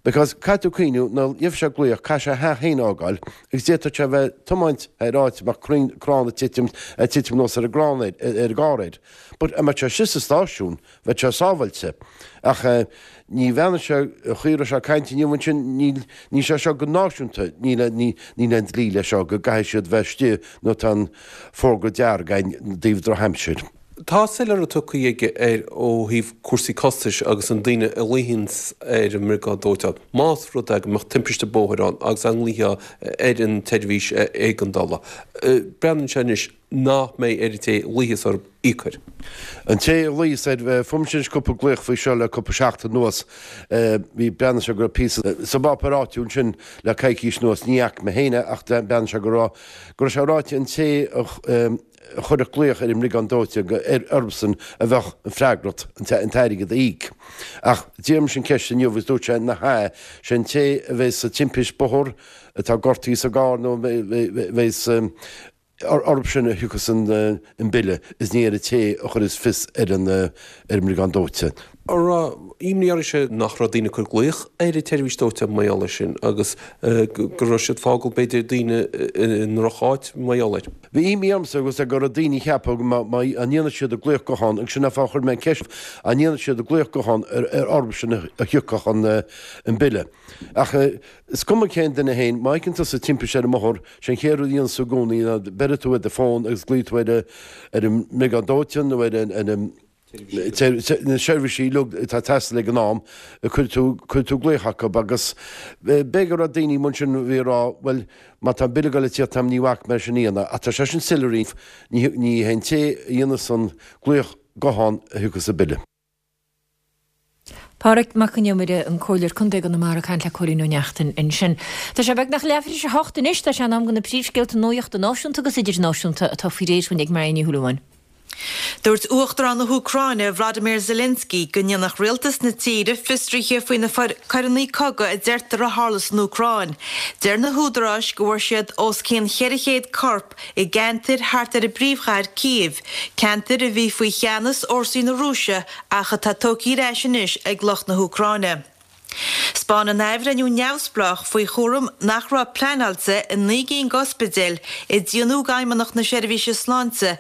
because caithfidh tú cuimhniú nuair a gheobhaidh sé glaoch caithfidh sé a theach féin a fhágáil agus d'fhéadfadh sé a bheith ag tiomáint ar áit a mbeadh crainn, crann ag titim, ag titim anuas ar an gcrann air, ar an gcarr air. But a mbeadh sé istigh sa stáisiún bheadh sé sábháilte. Ach ní bheannaigh sé, an chaoi a raibh sé ag caint inniu ansin, níl, níl sé seo go náisiúnta, níl, níl, níl aon dlí leis seo go gcaithfidh siad bheith istigh nuair atá an fógra dearg againn i dtaobh drochaimsir. Tá soiléiriú tugtha aige air ó thaobh cúrsaí costais agus an daoine a ghlaofaidh ar an mbriogáid dóiteáin, más rud é go mbeadh timpiste bóthair ann agus an nglaofaí ar an tseirbhís éigeandála. Breathnaíonn sé anois nach mbeidh ar an té a ghlaofas orthu íoc air. An té a ghlaofas air, fuair mise anois cúpla glaoch faoi seo le cúpla seachtain anuas. Bhí, breathnaíonn sé go raibh píosa sa bpáipéar áitiúil ansin le coicís anuas, ní fhaca mé féin é ach breathnaíonn sé go raibh, go raibh sé ráite an té a, a chuirfeadh glaoch ar an mbriogáid dóiteáin gur orthusan a bheadh an freagracht an t-airgead a íoc. Ach d'iarr mise an ceist inniu agus dúirt sé nach ea, sé an té a bheas sa timpist bóthair, atá gortaithe sa gcarr nó a bheas orthu sin a thiocfas an bille is ní ar an té a chuireas fios ar an mbriogáid dóiteáin. An raibh imní oraibhse nach raibh daoine ag cur glaoch ar an tseirbhís dóiteáin mar gheall air sin agus go raibh siad ag fágáil b'fhéidir daoine i ndrocháit mar gheall air? Bhí imní ormsa agus go raibh daoine ag ceapadh má ndéanadh siad an glaoch gutháin agus sin an fáth a chuir mé an ceist an ndéanadh siad an glaoch gutháin ar orthu sin a thiocfadh an bille. Ach is cuma cén duine féin, má fheiceann tusa timpiste ar an mbóthar, sé an chéad rud a dhéanann tú i gcónaí ná beireann tú ar do fón agus glaofaidh tú ar an mbriogáid dóiteáin nó ar an Na seirbhísí uilig atá ag teastáil ag an am, cuirfidh tú, cuirfidh tú glaoch acu agus b'fhéidir go raibh daoine mar sin a bhí ag rá, bhuel, má tá an bille ag dul ag tíocht agam ní bhacfaidh mé leis an dhéanamh ach tá sé sin soiléir, ní, ní hé an té a dhéanas an glaoch guthán a thiocfas an bille. Pádraig Mac Con Iomaire, an Comhairleoir Contae i gConamara ag caint le Cóilín Ó Neachtain ansin. Tá sé beagnach leathuair tar éis a hocht anois, tá sé in am do na príomhscéalta nuachta náisiúnta agus idirnáisiúnta atá faoi réir dúinn ag Máire Ní Shúilleabháin. Dúirt Uachtarán na hÚcráine Vladimir Zelensky go ndéanfadh rialtas na tíre fiosruithe faoi na coireanna cogaidh a deirtear a tharla san Úcráin. Deir na húdaráis go bhfuair siad os cionn cheithre chéad corp i gceantair thart ar an bpríomhchathair Cív, ceantair a bhí faoi cheannas fhórsaí na Rúise ach atá tógtha ar ais anois ag lucht na hÚcráine. 'Spáineann athbhreithniú neamhspleách faoi chúram nach raibh pleanáilte i naoi gcinn d'ospidéil a deimhníodh d'Fheidhmeannacht na Seirbhíse Sláinte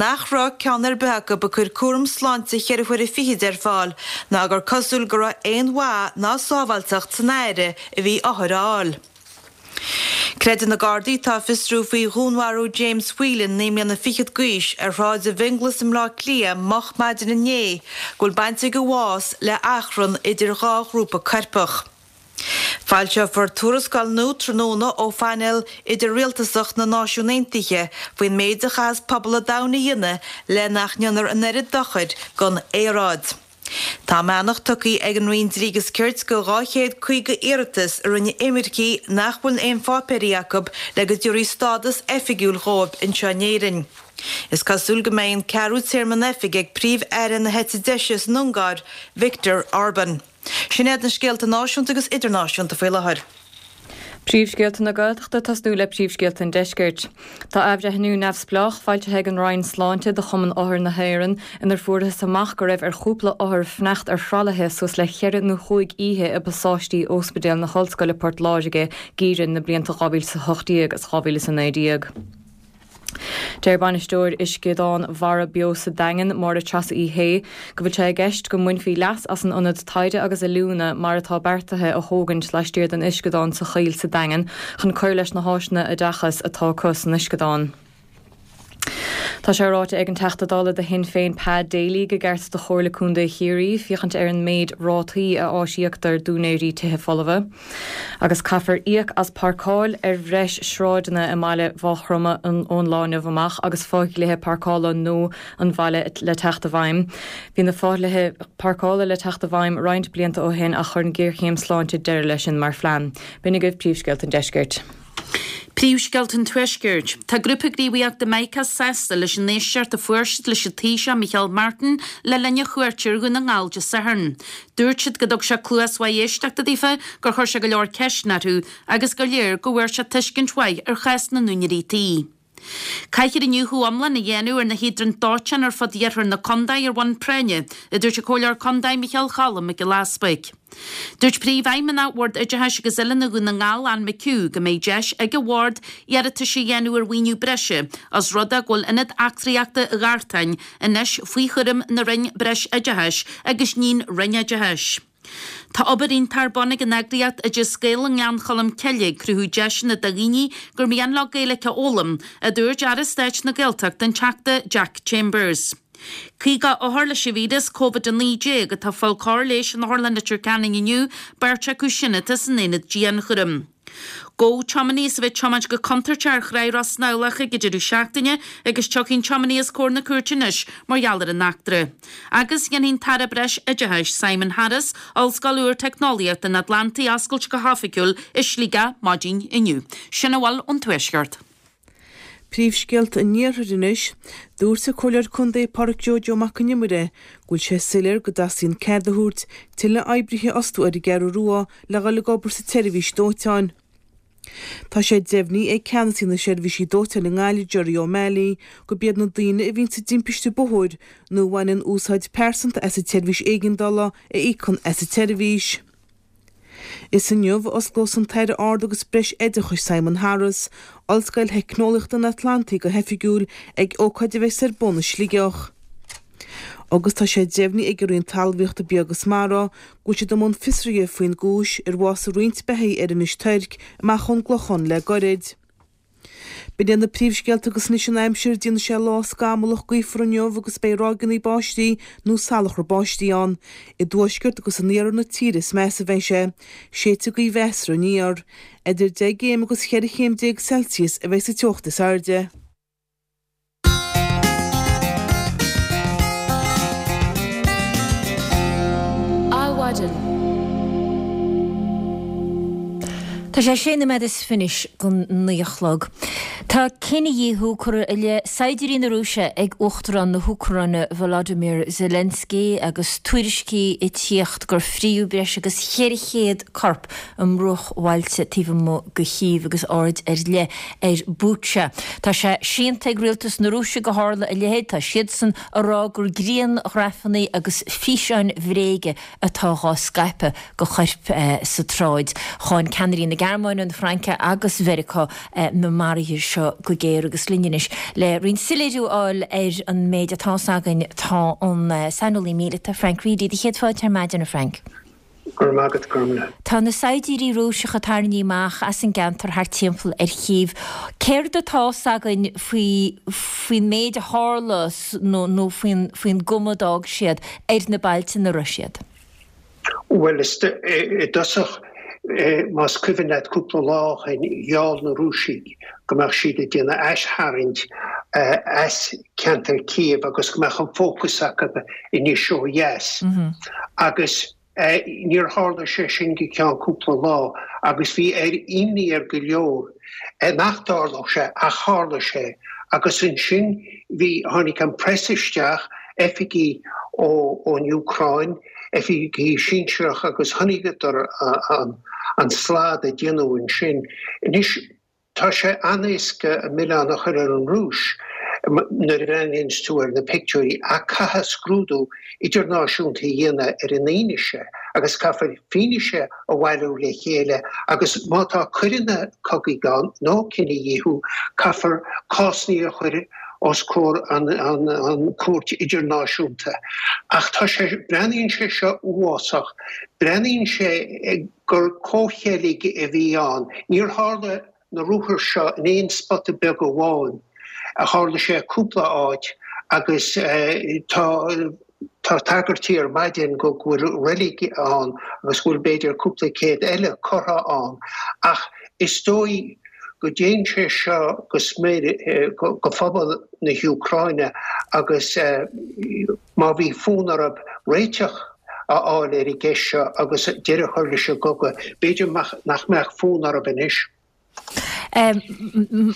nach raibh ceann ar bith acu ag cur cúram sláinte cheithre huaire fichid ar fáil ná gur cosúil go raibh aon mhaith ná sábháilteacht san aire a bhí othair a fháil. Creideann na Gardaí atá ag fiosrú faoi dhúnmharú James Whelan, naoi mbliana fichead d'aois, ar Shráid an Fhionnghlais i mBleá Cliath moch maidin inné, go bhfuil baint ag a bhás le achrann idir dhá ghrúpa coirpeach. Foilseofar tuarascáil nua tráthnóna ó phainéal idir-rialtasach na Náisiún Aontaithe faoin méid a chaithfeas pobal an domhain a dhéanamh le nach ndéanfar an oiread dochair don aeráid. Tá a mbeannacht tugtha ag an Roinn Dlí agus Cirt do dhá chéad caoga iarratas a rinne imircigh nach bhfuil aon pháipéirí acu le go dtabharfaí stádas oifigiúil dhóibh anseo in Éirinn. Is cosúil go mbeidh an ceathrú téarma in oifig ag Príomh-Aire na heite deise san Ungáir, Viktor Orban. Sin iad na scéalta náisiúnta agus idirnáisiúnta faoi láthair. Príomhscéalta na Gaeltachta tosnú le príomhscéalta an Deiscirt. Tá athbhreithniú neamhspleách foilsithe ag an Roinn Sláinte do Chumann Othar na hÉireann inar fuarthas amach go raibh ar chúpla othar fanacht ar thralaithe suas le ceithre nó chúig oíche i bpasáistí Ospidéal na hOllscoile Port Láirge geimhreadh na blianta dhá mhíle is a hocht déag agus dhá mhíle is a naoi déag. Deir bainisteoir Uisceadán Mhara Beo sa Daingean, Máire Treasa Uí Shé, go bhfuil sé i gceist go mbainfí leas as an ionad taighde agus oiliúna mar atá beartaithe a thógaint laistiar den uisceadán sa Choill sa Daingean chun cur leis na háiseanna oideachais atá acu san uisceadán. Tá sé ráite ag an Teachta Dála do Shinn Féin Pa Daly gur cheart do Chomhairle Contae Chiarraí féachaint ar an méid rátaí a aisíoctar d'úinéirí tithe folmha. Agus caithfear íoc as páirceáil ar bhreis sráideanna i mbaile Mhaigh Chromtha ón lá inniu amach agus fodhlíthe páirceála nua an bhaile le teacht i bhfeidhm. Bhí na fodhlíthe páirceála le teacht i bhfeidhm roinnt blianta ó shin ach chuir an ghéarchéim sláinte deireadh leis sin mar phlean. B'in agaibh príomhscéalta an deiscirt. Príomhscéalta an Tuaiscirt. Tá grúpa gníomhaíochta Micas sásta leis an éisteacht a fuair siad leis an Taoiseach Micheál Martin le linn a chuairte ar Dhún na nGall Dé Sathairn. Dúirt siad go dtug sé cluas mhaith éisteachta daofa, gur chuir sé go leor ceisteanna orthu agus gur léir go bhfuair sé tuiscint mhaith ar chás na n-úinéirí tí. Caithfear iniúchadh iomlán a dhéanamh ar na híodráin dóiteáin ar fud iarthar na contae ar bhonn práinne, a dúirt an Comhairleoir Contae Micheál Cholm Mac Giolla Easbuig. Dúirt Príomhfheidhmeannach Bhord Oideachais agus Oiliúna Dhún na nGall, Ann McHugh, go mbeidh deis ag an Bhord iarratais a dhéanamh ar mhaoiniú breise os rud é go bhfuil Ionad Eachtraíochta Ghartáin anois faoi chúram na Roinne Breis-Oideachais agus ní an Roinn Oideachais. Tá obair iontach ar bun ag an eagraíocht Oideas Gael i nGleann Cholm Cille ag cruthú deiseanna do dhaoine gur mian leo Gaeilge a fhoghlaim, a dúirt Aire Stáit na Gaeltachta an Teachta Jack Chambers. Caoga othar leis an víreas Covid a naoi déag atá ag fáil cóir leighis in Otharlann Leitir Ceanainn inniu, beirt acu sin atá san aonad dianchúraim. Gabhadh tiománaí as a bheith ag tiomáint go contúirteach ar Thráigh Ros na Abhlach ag an deireadh seachtaine agus tiocfaidh an tiománaí os comhair na cúirte anois mar gheall ar an eachtra. Agus déanfaidh an tAire Breis Oideachais, Simon Harris, Ollscoil úr Teicneolaíochta an Atlantaigh a oscailt go hoifigiúil i Sligeach maidin inniu. Sin a bhfuil ón Tuaisceart. Príomhscéalta an Iarthair anois. Dúirt an Comhairleoir Contae Pádraic Joe Joe Mac Con Iomaire go bhfuil sé soiléir go dteastaíonn cead a thabhairt tuilleadh oibrithe a fhostú ar an gCeathrú Rua le dhul ag obair sa tseirbhís dóiteáin. Tá sé deimhnithe ag ceannasaí na seirbhísí dóiteáin i nGaillimh, Gerry O'Malley, gurb iad na daoine a bhíonn sa dtimpiste bóthair nó a bhaineann úsáid pearsanta as an tseirbhís éigeandála a íocann as an tseirbhís. Is inniu a osclós an tAire Ard agus Breis Oideachais Simon Harris, Ollscoil Theicneolaíochta an Atlantaigh go hoifigiúil ag ócáid a bheas ar bun i Sligeach. Agus tá sé deimhnithe ag an Roinn Talmhaíochta Bia agus Mara go bhfuil siad i mbun fiosraithe faoin gcúis ar bhásaigh roinnt beithígh ar Inis Toirc amach ón gClochán le goirid. B'in iad na príomhscéalta agus anois an aimsir, déanfaidh sé lá scamallach gaofar inniu agus beidh ráigeanna báistí nó salachar báistí ann. I dtuaisceart agus in iarthar na tíre is measa a bheidh sé. Séidfidh gaoth mheasartha aniar. Idir deich gcéim agus cheithre chéim déag Celsius a bheidh sa teocht is airde. Adhmhaidin. Tá sé sé nóiméad is fiche don naoi a chlog. Tá cinedhíothú curtha i leith saighdiúirí na Rúise ag Uachtarán na hÚcráine Volodymyr Zelensky agus tuairiscí ag tíocht gur fríodh breis agus cheithre chéad corp i mbruachbhailte taobh amuigh de Chív agus aird ar leith ar Bucha. Tá sé séanta ag rialtas na Rúise gur tharla a leithéid. Tá siadsan ag rá gur grianghrafanna agus físeáin bhréige atá dhá scaipeadh de choirp sa tsráid. Cháin ceannairí na Gearmáine, na Fraince agus Mheiriceá na maruithe seo go géar agus linn anois le roinnt soiléiriú a fháil ar an méid atá 's againn tá an saineolaí míleata Frank Reidy. Do chéad fáilte ar maidin, a Frank. Go raibh maith agat, Gormlaith. Tá na saighdiúirí Rúiseacha tarraingthe amach as an gceantar thart timpeall ar Chív. Céard atá 's againn faoi faoin méid a tharla nó nó faoin faoin gcuma a d'fhág siad ar na bailte ina raibh siad? Bhuel, i dtosach, más cuimhin leat cúpla lá ó shin, gheall na Rúisigh go mbeadh siad ag déanamh aistharraingt as ceantar Kiev agus go mbeadh an fócas acu anois ó dheas. Agus níor tharla sé sin go ceann cúpla lá agus bhí ar imní ar go leor nach dtarlódh sé ach tharla sé. Agus ansin bhí, tháinig an press isteach, oifigigh ón Úcráin, oifigigh sinsearach agus chonaiceadar an slad a déanadh ansin. Anois, tá sé an-éasca an milleán a chur ar an Rúis nuair a bhreathnaíonns tú ar na pictiúirí ach caithfear scrúdú idirnáisiúnta a dhéanamh ar an fhianaise agus caithfear fianaise a bhailiú le chéile agus má tá coireanna cogaidh ann nó cinedhíothú caithfear cásanna a chur os comhair an Chúirt Idirnáisiúnta. Ach tá sé, breathnaíonn sé seo uafásach. Breathnaíonn sé gur comhcheilg a bhí ann. Níor tharla na ruathair seo in aon spota beag amháin. Tharla sé cúpla áit agus tá tá tagairtí ar maidin go bhfuil reilig ann agus go bhfuil b'fhéidir cúpla céad eile curtha ann. Ach is dóigh go dtéann sé seo go smior go phobal na hÚcráine agus má bhí fonn orthu réiteach a fháil ar an gceist seo agus deireadh a chur leis an gcogadh, b'fhéidir nach mbeadh fonn orthu anois.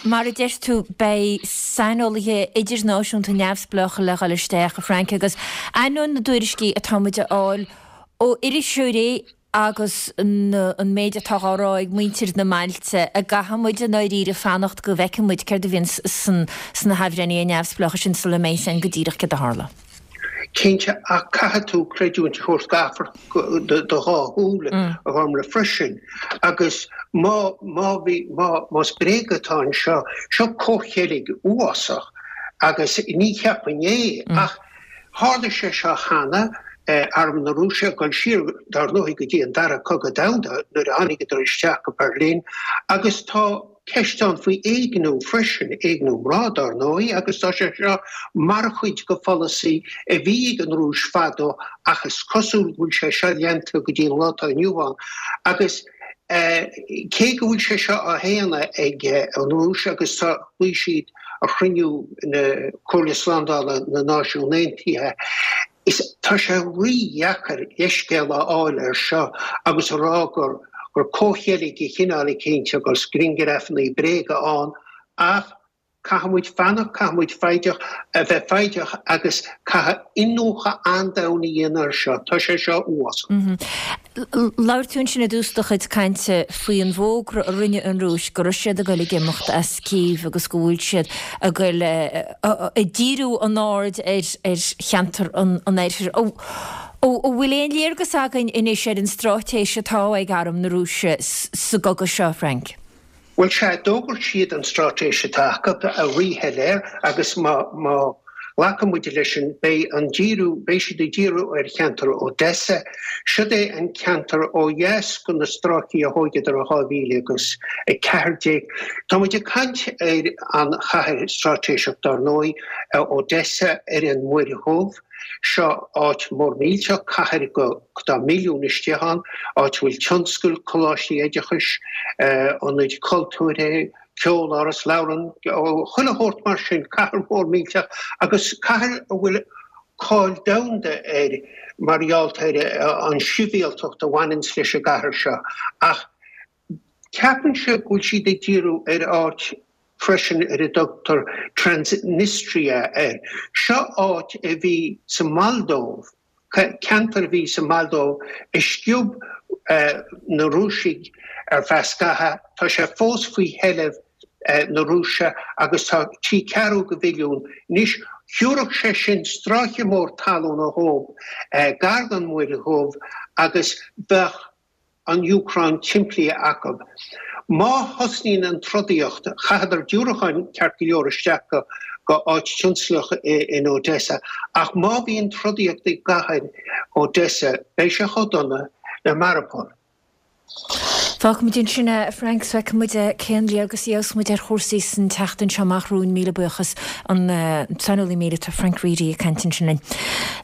Mar a deir tú, beidh saineolaithe idirnáisiúnta neamhspleácha le dhul isteach, a Frank, agus ainneoin na dtuairiscí atá muid a fháil ó iriseoirí agus an méid atá á rá ag muintir na mbailte, an gcaithfidh muid i ndáiríre fanacht go bhfeicfidh muid céard a bhíonn sna hathbhreithnithe neamhspleácha sin sula mbeidh a fhios againn go díreach céard a tharla. Cinnte, ach caithfidh tú creidiúint a thabhairt do do dhá shúil, a Ghormlaith, freisin. Agus má, má bhí, má, más bréag atá anseo, seo comhcheilg uafásach agus ní cheapfainn é, ach Tharla sé seo cheana, Arm na Rúise ag dul siar, dar ndóigh, go dtí an Dara Cogadh Domhanda nuair a tháinigeadar isteach go Berlin agus tá ceist ann faoi éigniú freisin, éigniú mná dar ndóigh, agus tá sé seo mar chuid de pholasaí a bhí ag an Rúis fadó ach is cosúil go bhfuil sé seo leanta go dtí an lá atá inniu ann agus cé go bhfuil sé seo á shéanadh ag an Rúis agus tá, ghlaoigh siad ar chruinniú na Comhairle Slándála na Náisiún Aontaithe. Is tá sé rí-dheacair leithscéal a fháil air seo agus a rá gur gur comhcheilg de chineál eicínt agus grianghrafanna bréaga ann ach caithfidh muid fanacht, caithfidh muid foighdeach, a bheith foighdeach agus caithfidh iniúchadh an-domhain a dhéanamh air seo. Tá sé seo uafásach. Labhair tú ansin i dtús do chuid cainte faoi an bhfógra a rinne an Rúis go raibh siad ag dul ag imeacht as Cív agus go bhfuil siad ag dul ag díriú a n-aird ar cheantar an oirthir. An bhfuil aon léargas againn anois ar an straitéis atá ag Arm na Rúise sa gcogadh seo, Frank? Bhuel, sea, d'fhógair siad an straitéis atá acu, ríshoiléir agus má Glacann muid leis sin, beidh an díriú, beidh siad ag díriú ar cheantar Odessa. Siod é an ceantar ó dheas go na stráicí a thóigeadar i dhá mhíle agus a ceathair déag. Tá muid ag caint ar an chathair straitéiseach dar ndóigh, Odessa ar an Muir Dhubh. Seo áit mór millteach, cathair go tá milliún istigh ann, áit a bhfuil tionscail, coláistí oideachais, ionaid cultúrtha, ceoláras, leabharlann, chuile shórt mar sin, cathair mhór millteach agus cathair a bhfuil cáil domhanda air mar gheall ar an sibhialtacht a bhaineanns leis an gcathair seo. Ach ceapaimse go bhfuil siad ag díriú ar áit freisin ar a dtugtar Transnistria air. Seo áit a bhí sa Mholdóiv, ceantar a bhí sa Mholdóiv a sciob na Rúisigh ar feadh scathaimh. Tá sé fós faoi sheilbh na Rúise agus tá trí ceathrú go mhilliún anois. Thiúrfadh sé sin stráice mór talún dhóibh gar don Mhuir Dhubh agus bheadh an Úcráin timplithe acu. Má thosnaíonn an trodaíocht, chaitheadar diúracáin ceart go leor isteach go go áit tionsclaíoch in Odessa, ach má bhíonn trodaíocht i gcathair Odessa, beidh sé chomh dona le Mariupol. Fágfaimid ansin é, a Frank, 's feicfimid cén léargas a gheobhas muid ar chúrsaí san tseachtain seo amach romhainn. Míle buíochas, an saineolaí míleata Frank Reidy ag caint ansin linn.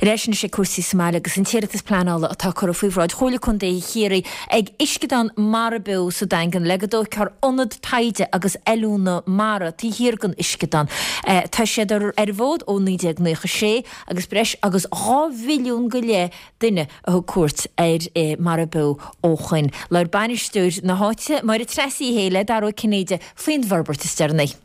Ar ais anois ag cúrsaí sa mbaile agus an t-iarratas pleanála atá curtha faoi bhráid Chomhairle Contae Chiarraí ag Uisceadán Mara Beo sa Daingean le go dtógfar ionad taighde agus oiliúna mara taobh thiar den uisceadán. Tá siad ar an bhfód ó naoi déag naocha sé agus breis agus dhá mhilliún go leith duine a thug cuairt ar Mara Beo ó shoin. Labhair bainisteoir na háite, Máire Treasa Uí Shé le Dara Ó Cinnéide faoin bhforbairt is deireanaí.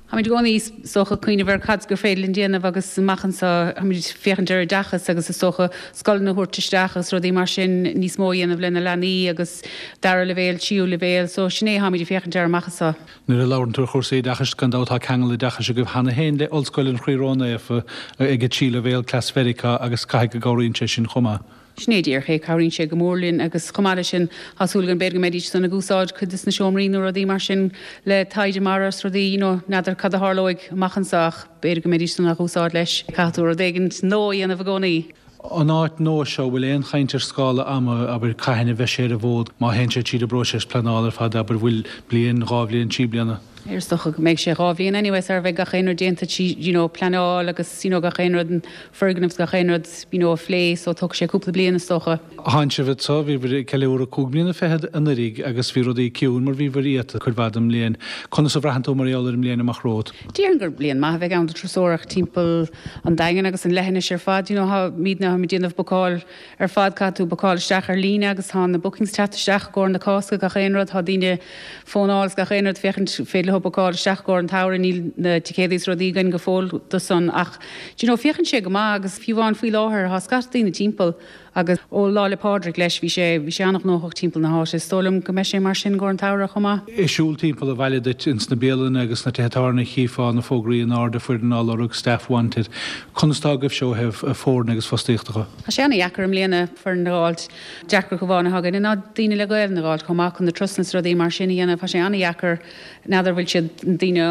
Táimid i gcónaí is dócha ag cuimhneamh ar cad gur féidir linn déanamh agus amach anseo táimid ag féachaint ar oideachas agus is dócha scoileanna a thabhairt isteach agus rudaí mar sin níos mó a dhéanamh le na leanaí agus dara leibhéal, tríú leibhéal so sin é táimid ag féachaint air amach anseo. Nuair a labhrann tú ar chúrsaí oideachais, gan dabht tá ceangal oideachais agaibh cheana féin le Ollscoil an Chroí Ró-Naofa ag an tríú leibhéal, Cleas Mheiriceá agus caithfidh go gcabhraíonn sé sin chomh maith. Sin é díreach é, cabhraíonn sé go mór linn agus chomh maith leis sin tá súil againn b'fhéidir go mbeidís san ag úsáid cuid de na seomraí nó rudaí mar sin le taighde mara is rudaí, you know, n'fheadar cad a tharlóidh amach anseo ach b'fhéidir go mbeidís san á úsáid leis. Caithfidh tú rud éigin nua a dhéanamh i gcónaí. An áit nua seo, bhfuil aon chaint ar scála ama, abair, cathain a bheidh sé ar an bhfód, má théann sé tríd an bpróiseas pleanála ar fad, abair, bhfuil bliain, dhá bhliain, trí bliana? Is dócha go mbeidh sé dhá bhliain anyway sara bheidh gach aon rud déanta trí you know pleanáil agus you know gach aon rud an foirgneamh 's gach aon rud you know a phlé so tógfaidh sé cúpla bliain is dócha. Tánn sibh anseo, bhíobhair ag ceiliúradh cúig bliana fichead anuraidh agus bhí rudaí ciúin mar bhíobhair iata cuid mhaith den mbliain. Conas a bhraitheann tú mar gheall ar an mbliain amach romhat? Déarfainn gur bliain maith a bheidh ann do turasóireacht timpeall an Daingin agus an leithinis ar fad you know táimidne ag déanamh bookáil ar fad caithfidh tú bookáil isteach ar líne agus tá na bookings teacht isteach i gcomhair na Cásca gach aon rud tá daoine fónáil is gach aon rud féachaint féidir leo bookáil isteach i gcomhair an tsamhraidh níl na ticéadaí is rudaí againn go fóill do san ach do you know féachann sé go maith agus fiú amháin faoi láthair tá scata daoine timpeall agus ó Lá 'le Pádraig leis bhí sé bhí sé an-ghnóthach timpeall na háite is dóigh liom go mbeidh sé mar sin i gcomhair an tsamhraidh chomh maith. Ag siúl timpeall an bhaile duit ins na bialanna agus sna tithe tábhairne chífeá na fógraí in airde foireann á lorg, staff wanted. Conas tá agaibhse ó thaobh foirne agus fostaíochta dhe? Tá sé ana-dheacair i mbliana foireann a dh'fháilt. Deacracht amháin atá againne ná daoine le Gaelainn a dh'fháilt chomh maith chun na turasanna is rudaí mar sin a dhéanamh. Tá sé ana-dheacair. N'fheadar bhfuil siad, na daoine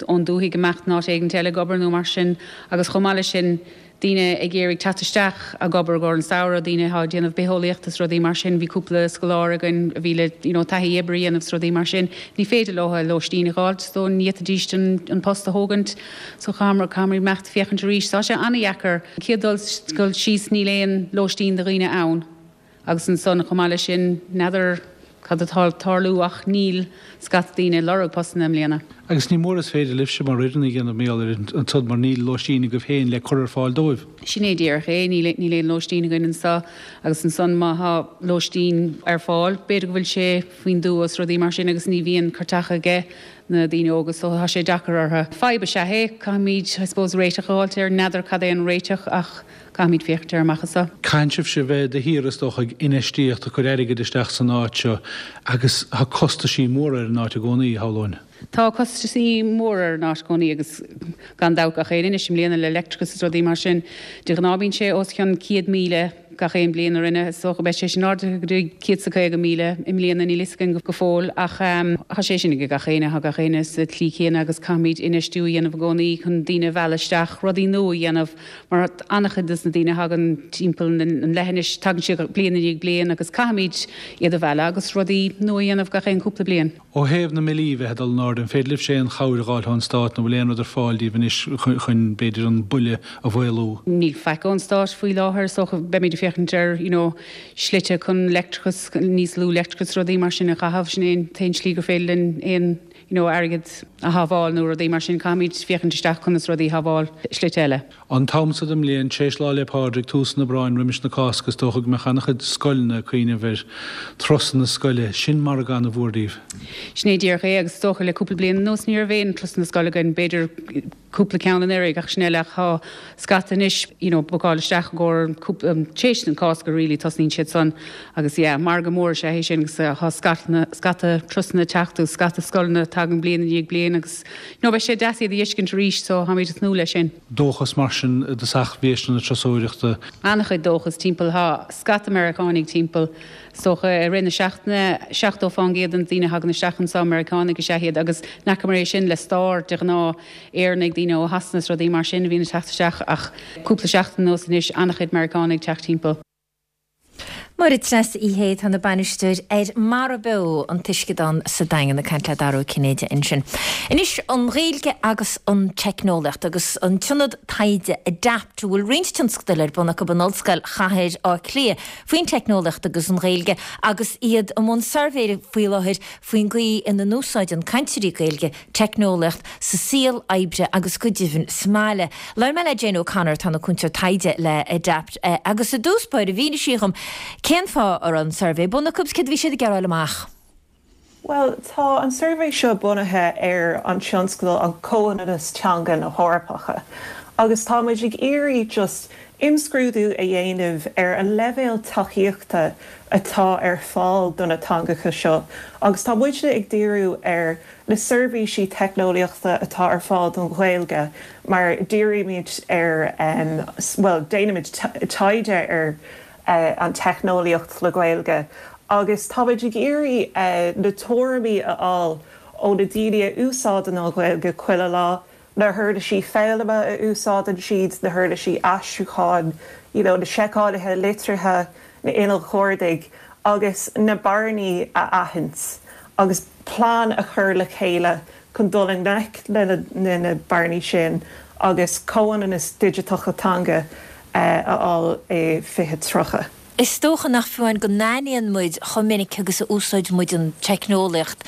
ón dúthaigh ag imeacht in áit éigint eile ag obair nó mar sin agus chomh maith leis sin daoine ag iarraidh teacht isteach ag obair i gcomhair an samhradh, daoine atá ag déanamh bitheolaíochta is rudaí mar sin. Bhí cúpla scoláire againn a bhí le you know taithí oibre a dhéanamh is rudaí mar sin. Ní féidir leo lóistín a dh'fháilt so ní fhéadfaidís an post a thógaint so caithfimid imeacht féachaint arís. Tá sé an-dheacair. Chéad dul síos níl aon lóistín do dhaoine ann agus ansan chomh maith leis sin n'fheadar cad atá ag tarlú ach níl scata daoine ag lorg postanna i mbliana. Agus ní mór is féidir libhse mar fhoireann a dhéanamh mar gheall ar ansan mar níl lóistín agaibh féin le cur ar fáil dóibh. Sin é díreach é, níl níl aon lóistín againn anso agus ansan má thá lóistín ar fáil b'fhéidir go bhfuil sé faoin dtuath is rudaí mar sin agus ní bhíonn cairteacha aige na daoine óga so tá sé deacair orthu. Fadhb is ea é, caithfimid I suppose réiteach a fháilt air, n'fheadar cad é an réiteach ach caithfimid féachaint air amach anso. Caitheann sibhse bheith de shíor is dócha ag infheistíocht, ag cur airgid isteach san áit seo agus tá costaisí móra ar an áit i gcónaí, shamhlóinn. Tá costaisí móra ar an áit i gcónaí agus gan dabht gach aon anois i mbliana le leictreachas is rudaí mar sin. De ghnáth bíonn sé os cionn céad míle. gach aon bliain a rinne so go beidh sé sin ardaithe go dtí céad is caoga míle i mbliana níl fhios againn go fóill ach tá sé sin ag gach éinne tá gach éinne sa tslí chéanna agus caithfimid infheistiú a dhéanamh i gcónaí chun daoine a mhealladh isteach rudaí nua a dhéanamh mar an-chuid des na daoine a thagann timpeall an leithinis tagann siad bliain i ndiaidh bliain agus caithfimid iad a mhealladh agus rudaí nua a dhéanamh gach aon cúpla bliain. Ó thaobh na mbillí bheith ag dul in airde, an féidir libhse aon chabhair a dh'fháil ón Stát nó bhfuil aon rud ar fáil daoibh anois chun, b'fhéidir, an buille a mhaolú? Níl faic ón Stát faoi láthair so beimid ag féachaint ar you know slite chun leictreachas, níos lú leictreachas, rudaí mar sin a chaitheamh, sin é an t-aon slí gur féidir linn aon you know airgead a shábháil nó rudaí mar sin, caithfimid féachaint isteach conas rudaí a shábháil slite eile. An t-am so den mbliain, tar éis Lá 'le Pádraig, tús an Aibreáin, roimis na Cásca, is dócha go mbeadh an-chuid scoileanna ag cuimhneamh ar turasanna scoile. Sin margadh an-mhór daoibh. Sin é díreach é agus is dócha le cúpla bliain anuas ní raibh aon turasanna scoile againn, b'fhéidir cúpla ceann anuraidh ach sin eile ach tá scata anois you know bookáil isteach i gcomhair cúpla tar éis an Cásca really tosnaíonn siad san agus yeah margadh mór is ea é sin agus tá scata scata turasanna ag teacht agus scata scoileanna tagann bliain i ndiaidh bliain agus you know beidh sé deas iad a fheiscint arís so táimid ag tnúth leis sin. Dóchas mar sin i dtosach bhí na turasóireachta. An-chuid dóchas timpeall tá scata Meiriceánaigh timpeall is dócha i rith na seachtaine seachtó fán gcéad de na daoine a thagann isteach anseo Meiriceánaigh is ea iad agus n'fheacamar é sin le stair de ghnáth Éireannaigh daoine ó Shasana is rudaí mar sin a bhíonn ag teacht isteach ach cúpla seachtain anuas anois an-chuid Meiriceánaigh ag teacht timpeall. Máire Treasa Uí Shé atá ina bainisteoir ar Mara Beo, an t-uisceadán sa Daingean, ag caint le Dara Ó Cinnéide ansin. Anois an Ghaeilge agus an teicneolaíocht agus an t-ionad taighde Adapt a bhfuil roinnt tionscadail ar bun acu in Ollscoil Chathair Átha Cliath faoin teicneolaíocht agus an Ghaeilge agus iad i mbun suirbhé faoi láthair faoin gcaoi ina n-úsáideann cainteoirí Gaeilge teicneolaíocht sa saol oibre agus go deimhin sa mbaile. Labhair mé le Jane O'Connor atá ina cúntóir taighde le Adapt agus i dtús báire mhínigh sí dhom cén fáth a raibh an suirbhé bunaithe acu agus céard a bhí siad ag iarraidh a fháil amach. Bhuel, tá an suirbhé seo bunaithe ar an tionscadal an Comhionannas Teanga na hEorpacha agus tá muid ag iarraidh just imscrúdú a dhéanamh ar an leibhéal tacaíochta atá ar fáil do na teangacha seo agus tá muidne ag díriú ar na seirbhísí teicneolaíochta atá ar fáil don Ghaeilge mar dírímid ar bhuel déanaimid taighde ar an teicneolaíocht le Gaeilge agus táimid ag iarraidh na tuairimí a fháil ó na daoine a úsáideann an Ghaeilge chuile lá, na huirlisí foghlama a úsáideann siad, na huirlisí aistriúcháin, you know, na seiceálaithe litrithe, na innill chuardaigh agus na bearnaí a aithint agus plean a chur le chéile chun dul i ngleic le na bearnaí sin agus comhionannas digiteach teanga a fháil i fiche tríocha. Is dócha nach fiú amháin go n-aithníonn muid chomh minic agus a úsáid muid an teicneolaíocht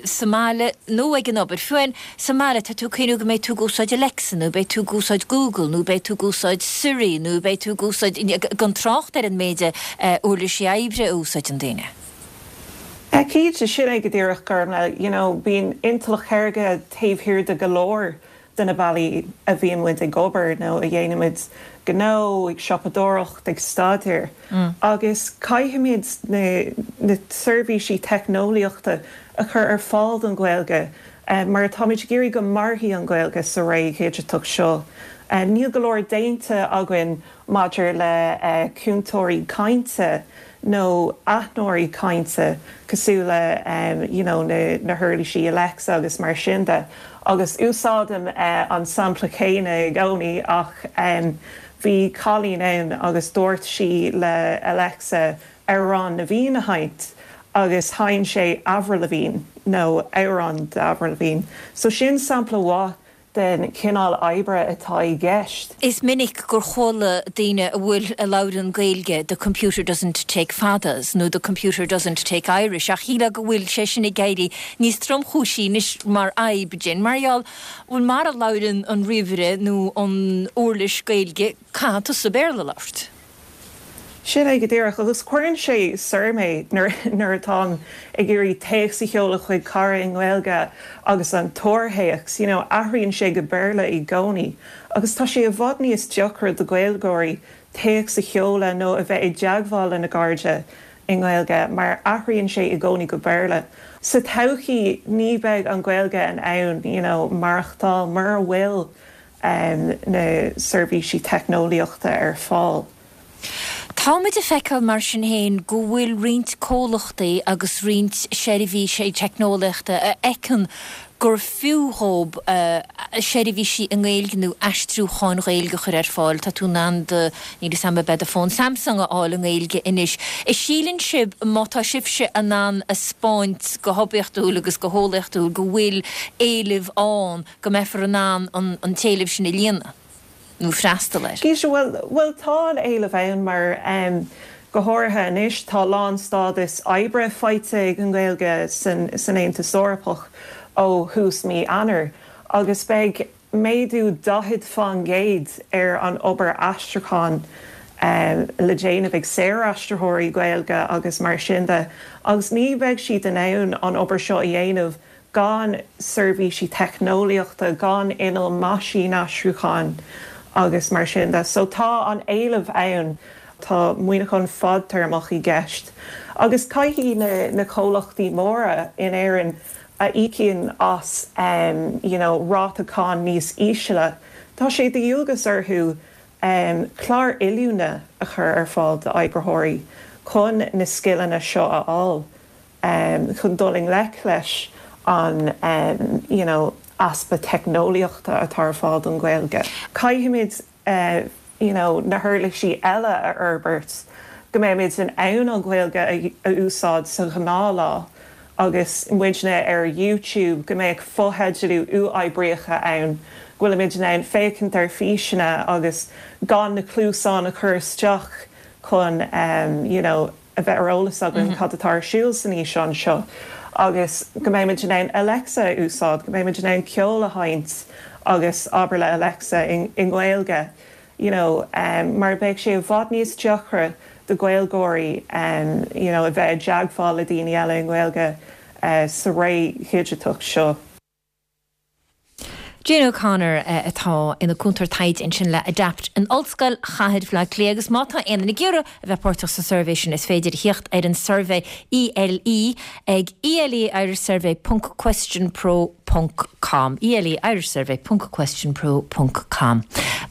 sa mbaile nó ag an obair. Fiú amháin sa mbaile tá tú ag cuimhniú go mbeidh tú ag úsáid Alexa nó beidh tú ag úsáid Google nó beidh tú ag úsáid Siri nó beidh tú ag úsáid gan trácht ar an méid uirlisí oibre a úsáideann daoine. Cinnte sin é go díreach Gormlaith, you know, bíonn intleacht shaorga taobh thiar de go leor de na bealaí a bhíonn muid ag obair nó a dhéanaimid gnó, ag siopadóireacht, ag staidéar. Agus caithfimid na na seirbhísí teicneolaíochta a chur ar fáil don Ghaeilge mar táimid ag iarraidh go mairfidh an Ghaeilge sa ré dhigiteach seo. Níl go leor déanta againn maidir le cúntóirí cainte nó aithneoirí cainte cosúil le you know na na huirlisí Alexa agus mar sin de. Agus úsáidim an sampla céanna i gcónaí ach bhí cailín ann agus dúirt sí le Alexa Amhrán na bhFiann a sheinnt agus sheinn sé Avril Lavigne nó amhrán d'Avril Lavigne. So sin sampla mhaith den chineál oibre atá i gceist. Is minic gur chuala daoine a bhfuil a labhrann Gaeilge the computer doesn't take fadas nó the computer doesn't take Irish ach shílfeá go bhfuil sé sin ag éirí níos tromchúisí anois mar fhadhb Jane mar gheall bhuel mara labhrann an ríomhaire nó an uirlis Gaeilge caithfidh tusa Béarla a labhairt. Sin é go díreach agus cuireann sé soir mé nuair atáim ag iarraidh téacs a sheoladh chuig cara i nGaeilge agus an tuarthéacs, you know, athraíonn sé go Béarla i gcónaí agus tá sé i bhfad níos deacra do Ghaeilgeoirí téacs a sheoladh nó a bheith i dteagmháil lena gcairde i nGaeilge mar athraíonn sé i gcónaí go Béarla. Sa todhchaí ní bheidh an Ghaeilge in ann, you know, maireachtáil mura bhfuil um, na seirbhísí teicneolaíochta ar fáil. Táimid ag feiceáil mar sin féin go bhfuil roinnt comhlachtaí agus roinnt seirbhísí teicneolaíochta a fheiceann gur fiú dhóibh seirbhísí i nGaeilge nó aistriúcháin Ghaeilge a chur ar fáil. Tá tú in ann do, níl 'fhios a'm ab ea do fón Samsung a fháil i nGaeilge anois. An síleann sibh má tá sibhse in ann a 'speáint go hoibiachtúil agus go heolaíochtúil go bhfuil éileamh ann go mbeifear in ann an t-éileamh sin a líonadh? nó freastal air. Cinnte, bhuel, bhuel tá an éileamh ann mar em go háirithe anois tá lánstádas oibre faighte ag an nGaeilge san san Aontas Eorpach ó thús mí Eanáir agus beidh méadú daichead faoin gcéad ar an obair aistriúcháin em le déanamh ag saoraistritheoirí Gaeilge agus mar sin de agus ní bheidh siad in ann an obair seo a dhéanamh gan seirbhísí teicneolaíochta, gan innill meaisínaistriúcháin agus mar sin de. So tá an éileamh ann, tá maoiniúchán fadtéarmach i gceist agus caithfidh na na comhlachtaí móra in Éirinn a íocann as um, you know, ráta cáin níos ísle, tá sé de dhualgas orthu um, clár oiliúna a chur ar fáil d'oibritheoirí chun na scileanna seo a fháil. um, chun dul i ngleic leis an um, you know, easpa teicneolaíochta atá ar fáil don Ghaeilge. Caithfimid uh, you know, na huirlisí eile a fhorbairt go mbeimid in ann an Ghaeilge a, a úsáid sa ghnáthlá agus muidne ar YouTube go mbeidh fotheidealú uathoibríoch ann, go bhfuilimid in ann féachaint ar físeanna agus gan na cluasáin a chur isteach chun um, you know, a bheith ar eolas againn cad atá ar siúl san fhíseán seo agus go mbeimid in ann Alexa a úsáid, go mbeimid in ann ceol a sheinnt agus abair le Alexa in, in Gaeilge. You know, um, mar beidh sé i bhfad níos deacra do Ghaeilgeoirí um, you know, a bheith i dteagmháil le daoine eile i nGaeilge uh, sa ré dhigiteach seo. Jane O'Connor atá ina cúntóir taighde ansin le Adapt in Ollscoil Chathair Bhaile Átha Cliath agus má tá aon duine ag iarraidh a bheith páirteach sa suirbhé sin is féidir theacht ar an suirbhé ELE ag ELE Irish Survey ponc questionpro ponc com ELE Irish Survey ponc questionpro ponc com.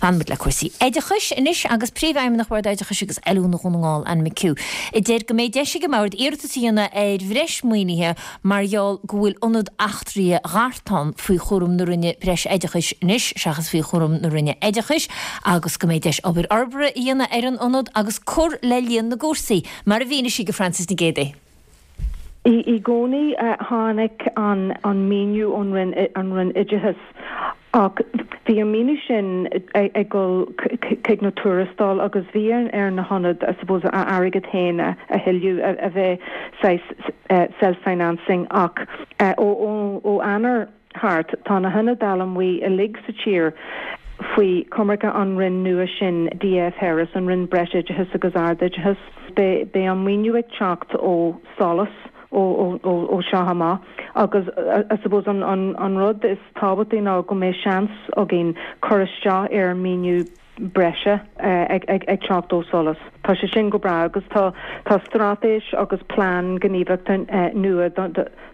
Fanfaimid le cúrsaí oideachais anois agus Príomhfheidhmeannach Bhord Oideachais agus Oiliúna Dhún na nGall Anne McHugh. A deir go mbeidh deis ag an mbord iarratas a dhéanamh ar bhreis maoinithe mar gheall go bhfuil Ionad Eachtraithe Ghartán faoi chúram na Roinne Breis-Oideachais anois seachas faoi chúram na Roinne Oideachais agus go mbeidh deis obair fhorbartha a dhéanamh ar an ionad agus cur le líon na gcúrsaí, mar a mhínigh sí do Frances Nic Géadaigh. I gcónaí tháinig an an maoiniú ón Roinn an Roinn Oideachais ach bhí an maoiniú sin ag dul chuig na tuarastail agus bhí ar na hionaid I suppose a airgead féin a thuilleamh a bheith saghas self-financing ach ó ó Eanáir thart tá na hionaid allamuigh uilig sa tír faoi choimirce an Roinn nua sin DF Harris an Roinn Breisoideachais agus Ardoideachais. Beidh an maoiniú ag teacht ó SOLAS ó ó seo amach agus I suppose an an an rud is tábhachtaí ná go mbeidh seans againn cur isteach ar maoiniú breise ag ag ag teacht ó SOLAS. Tá sé sin go breá agus tá tá straitéis agus plean gníomhaíochta nua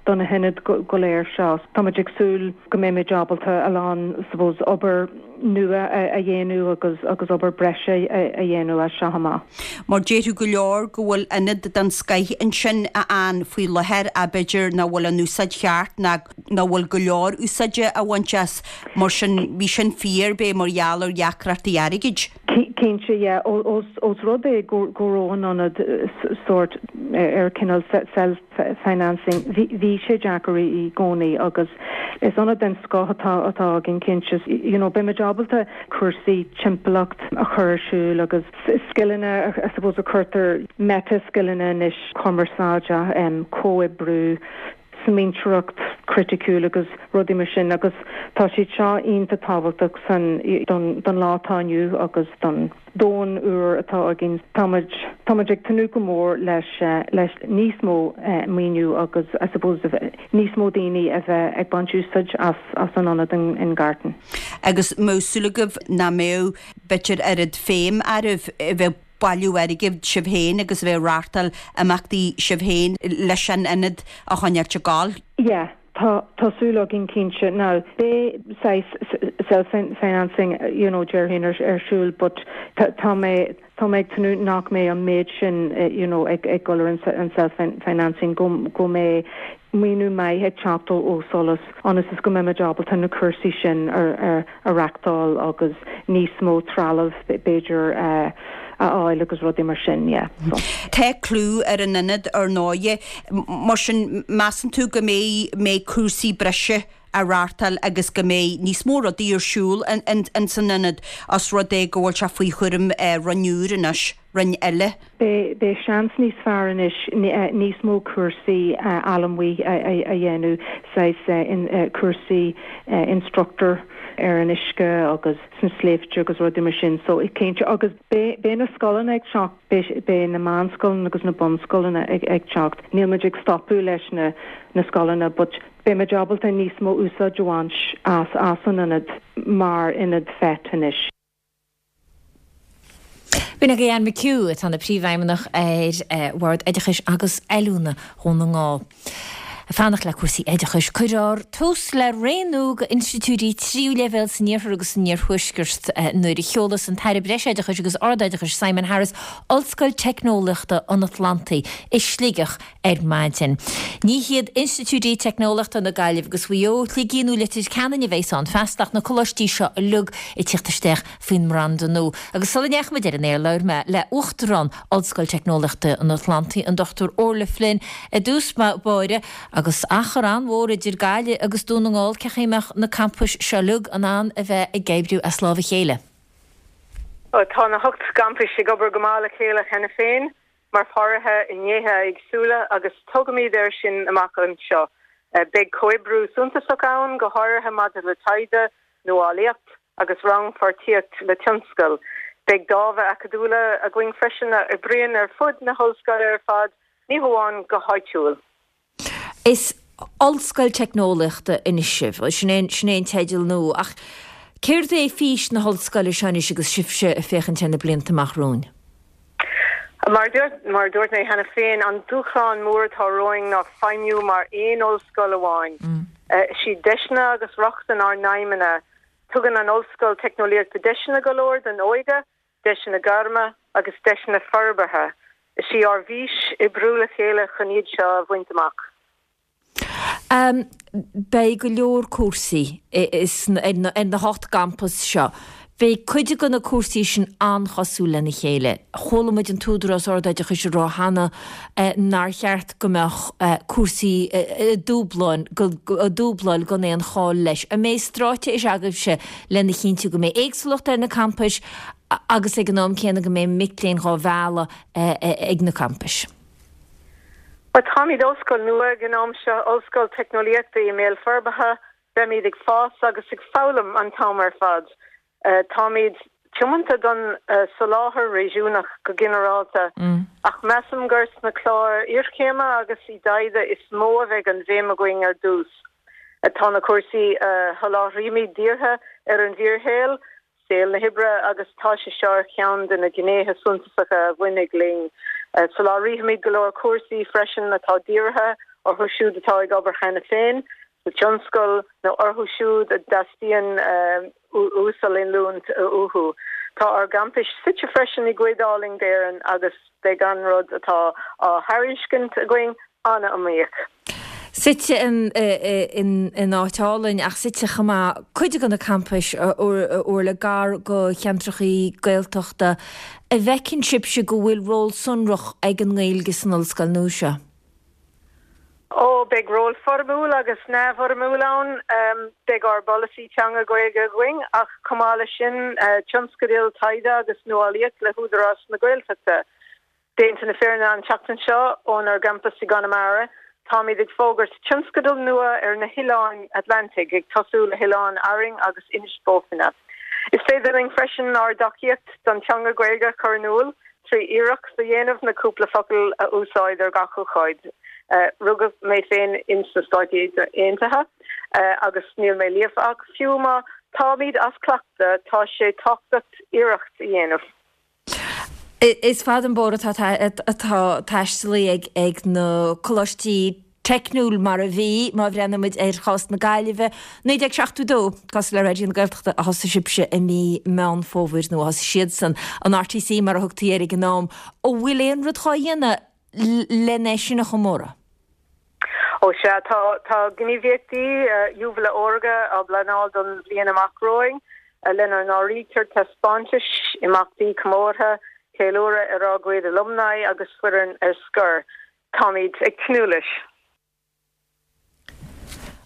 do na hionaid go léir seo. Táimid ag súil go mbeimid ábalta a lán suppose obair nua a dhéanamh agus agus obair breise a dhéanamh as seo amach. Mar déarfadh go leor go bhfuil ionad den scoth ansin ann faoi láthair a b'fhéidir nach bhfuil an úsáid cheart ná nach bhfuil go leor úsáide á bhaint as mar sin bhí sin fíor b'é mar gheall ar dheacrachtaí airgid. Cinnte yeah ós ós rud é go go raibh an ionad sórt ar cineál self financing bhí sé deacair i gcónaí agus is ionad den scoth atá atá againn cinnte you know beimid ábalta cúrsaí timpeallacht a chur ar siúl agus scileanna I suppose a cuirtear meta scileanna anois cumarsáide um, comhoibriú smaointeoireacht chriticiúil agus rudaí mar sin agus tá siad seo iontach tábhachtach san don don lá atá inniu agus don domhan úr atá againn. Táimid táimid ag tnúth go mór leis leis níos mó maoiniú agus I suppose níos mó daoine a bheith ag baint úsáid as as an ionad in, in Gartan. Agus mbeadh súil agaibh nach mbeadh b'fhéidir oiread féim oraibh a bheith bailiú airgid sibh féin agus a bheith ag reáchtáil imeachtaí sibh féin leis an ionad a choinneáil ag gabháil. Yeah. Tá tá súil againn cinnte now beidh saghas self financing you know déarfainn ar ar siúl but tá mé tá mé ag tnúth nach mbeidh an méid sin you know ag ag dul ar an self-financing go go mbeidh maoiniú maith ag teacht ó ó SOLAS ionas is go mbeimid ábalta na cúrsaí sin ar ar a reáchtáil agus níos mó trealamh b'fhéidir a fháil agus rudaí mar sin yeah so. Tá clú ar an ionad ar ndóigh, mar sin measann tú go mbeidh mbeidh cúrsaí breise á reáchtáil agus go mbeidh níos mó rudaí ar siúl in san ionad os rud é go bhfuil sé faoi chúram roinn úr anois, roinn eile. Beidh seans níos fearr anois níos mó cúrsaí allamuigh a dhéanamh, saghas cúrsaí instructor ar an uisce agus sna sléibhte agus rudaí mar sin so cinnte agus beidh na scoileanna ag teacht, beidh na meánscoileanna agus na bunscoileanna ag teacht. Níl muid ag stopadh leis na na scoileanna but beidh muid ábalta níos mó úsáid a bhaint as as an ionad mar ionad FET anois. B'in agaibh Anne McHugh atá ina Príomhfheidhmeannach ar Bhord Oideachais agus Oiliúna Dhún na nGall. Ag fanacht le cúrsaí oideachais, cuirfear tús le ré nua d'institiúidí tríú leibhéal san iarthar agus san iarthuaisceart nuair a sheolas an tAire Breisoideachais agus Ardoideachais Simon Harris Ollscoil Teicneolaíochta an Atlantaigh i Sligeach ar maidin. Ní hiad institiúidí teicneolaíochta na Gaillimhe agus Mhaigh Eo, Shligigh nó Leitir Ceanainn a bheas ann feasta ach na coláistí seo uilig ag tíocht isteach faoin mbranda nua. Agus sula ndeachaigh muid ar an aer labhair mé le Uachtarán Ollscoil Teicneolaíochta an Atlantaigh, an Dochtúir Orla Flynn, i dtús báire agus achar an-mhór idir Gaillimh agus Dún na nGall, cén chaoi a mbeadh na campais seo uilig in ann a bheith ag oibriú as lámh a chéile? Tá na hocht gcampais ag obair go maith le chéile cheana féin mar pháirtithe i ngnéithe éagsúla agus tógfaimid air sin amach anseo. Beidh comhoibriú suntasach ann, go háirithe maidir le taighde, nuálaíocht agus rannpháirtíocht le tionscal. Beidh dámha acadúla againn freisin a oibríonn ar fud na hollscoile ar fad, ní hamháin go háitiúil. Is ollscoil teicneolaíochta anois sibh, sin é sin é an teideal nua, ach céard é fís na hollscoile seo anois agus sibhse ag féachaint ar na blianta amach romhainn? Mar mar a dúirt mé cheana féin, an dúshlán mór atá romhainn ná feidhmiú mar aon ollscoil amháin. Is iad deiseanna agus rochtain ár n-aidhmeanna. Tugann an Ollscoil Teicneolaíochta deiseanna go leor don óige, deiseanna gairme agus deiseanna forbartha. Is í ár bhfís oibriú le chéile chun iad seo a bhaint amach. Beidh go leor cúrsaí ar na hocht gcampas seo. Beidh cuid de na cúrsaí sin an-chosúil lena chéile. Chuala muid an tÚdarás Ardoideachais ag rá cheana nár cheart go mbeadh cúrsaí ag dúbláil gan aon chall leis. An mbeidh straitéis agaibhse lena chinntiú go mbeidh éagsúlacht ar na campais agus ag an am céanna go mbeidh mic léinn dhá mhealladh ag na campais? Bhuel, táimid ollscoil nua ag an am seo, ollscoil teicneolaíochta i mbéal forbartha, beimid ag fás agus ag foghlaim an t-am ar fad. Táimid tiomanta don soláthar réigiúnach go ginearálta, ach measaim gur sna cláir iarchéime agus i dtaighde is mó a bheidh an bhéim againn ar dtús. Tá na cúrsaí a sholáthraímid dírithe ar an bhfíorshaol, saol na hoibre, agus tá sé seo ar cheann de na gnéithe suntasacha a bhainfidh linn. Soláthraímid go leor cúrsaí freisin atá dírithe orthu siúd atá ag obair cheana féin sa tionscal nó orthu siúd a dteastaíonn uasoiliúint uathu. Tá ár gcampais suite freisin i gcuid álainn d'Éirinn agus beidh an rud atá á thairiscint againn an-iomaíoch. Suite in áit álainn ach suite chomh maith cuid de na campais a Orla gar go cheantrachaí Gaeltachta. An bhfeiceann sibhse go bhfuil ról sonrach ag an nGaeilge san ollscoil nua seo? Ó, beidh ról foirmiúil agus neamhfhoirmiúil ann. Beidh ár bpolasaí teanga Gaeilge againn ach chomh maith leis sin tionscadail taighde agus nuálaíocht le hÚdarás na Gaeltachta. Déanta na fírinne an tseachtain seo ónár gcampas i gConamara, táimid ag fógairt tionscadal nua ar na hoileáin Atlantaigh, ag tosú le hOileán Árainn agus Inis Bó Finne. Is féidir linn freisin ár dtacaíocht don teanga Ghaeilge a chur in iúl trí iarracht a dhéanamh na cúpla focal a úsáid ar gach ócáid. Rugadh mé féin ins na Stáit Aontaithe agus níl mé líofa ach fiú má táimid as cleachtadh, tá sé tábhachtach iarracht a dhéanamh. Is fada an bóthar atá taistealaithe ag na coláistí teicniúil mar a bhí, má bhreathnaímid ar chás na Gaillimhe, naoi déag seachtó dó, cosúil le Raidió na Gaeltachta, a thosaigh sibhse i mí Meán Fómhair, nó a thosaigh siadsan, an R T C mar a thugtaí air ag an am. An bhfuil aon rud dhá dhéanamh len é sin a chomóradh? Ó sea, tá tá gníomhaíochtaí Júbaile Órga á bpleanáil don bhliain amach romhainn, lena n-áirítear taispeántais, imeachtaí comórtha, ceiliúradh ar ár gcuid alumni agus foireann ar scor. Táimid ag tnúth leis.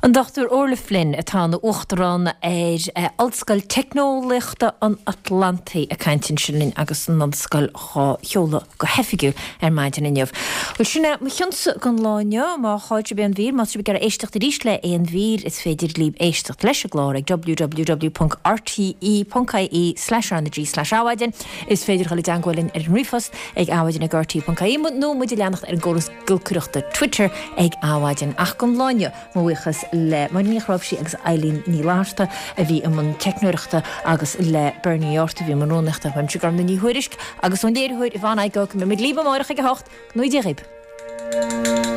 An Dochtúir Orla Flynn atá ina Uachtarán ar Ollscoil Teicneolaíochta an Atlantaigh ag caint ansin linn agus an ollscoil dhá sheoladh go hoifigiúil ar maidin inniu. Bhuel sin é mo chionsa don lá inniu. Má chaill sibh aon mhír, má tá sibh ag iarraidh éisteacht arís le aon mhír, is féidir libh éisteacht leis an gclár ag W W W ponc R T E ponc I E slash R N G slash Adhmhaidin. Is féidir dhul i dteagmháil linn ar an ríomhphost ag adhmaidin ag R T E ponc I E nó muid a leanacht ar an gcóras giolcaireachta Twitter ag Adhmhaidin. Ach don lá inniu, mo bhuíochas le Máire Ní Chráimhsí agus Eileen Ní Fhlatharta a bhí i mbun teicneoireachta agus le Bernie Ort a bhí i mbun rúnaíochta. Uaimse Gormfhlaith Ní Thuairisg agus ón léiritheoir Yvonne Igoe, go mbeidh muid libh amárach ag a hocht. Go ngnóthaí Dia dhaoibh.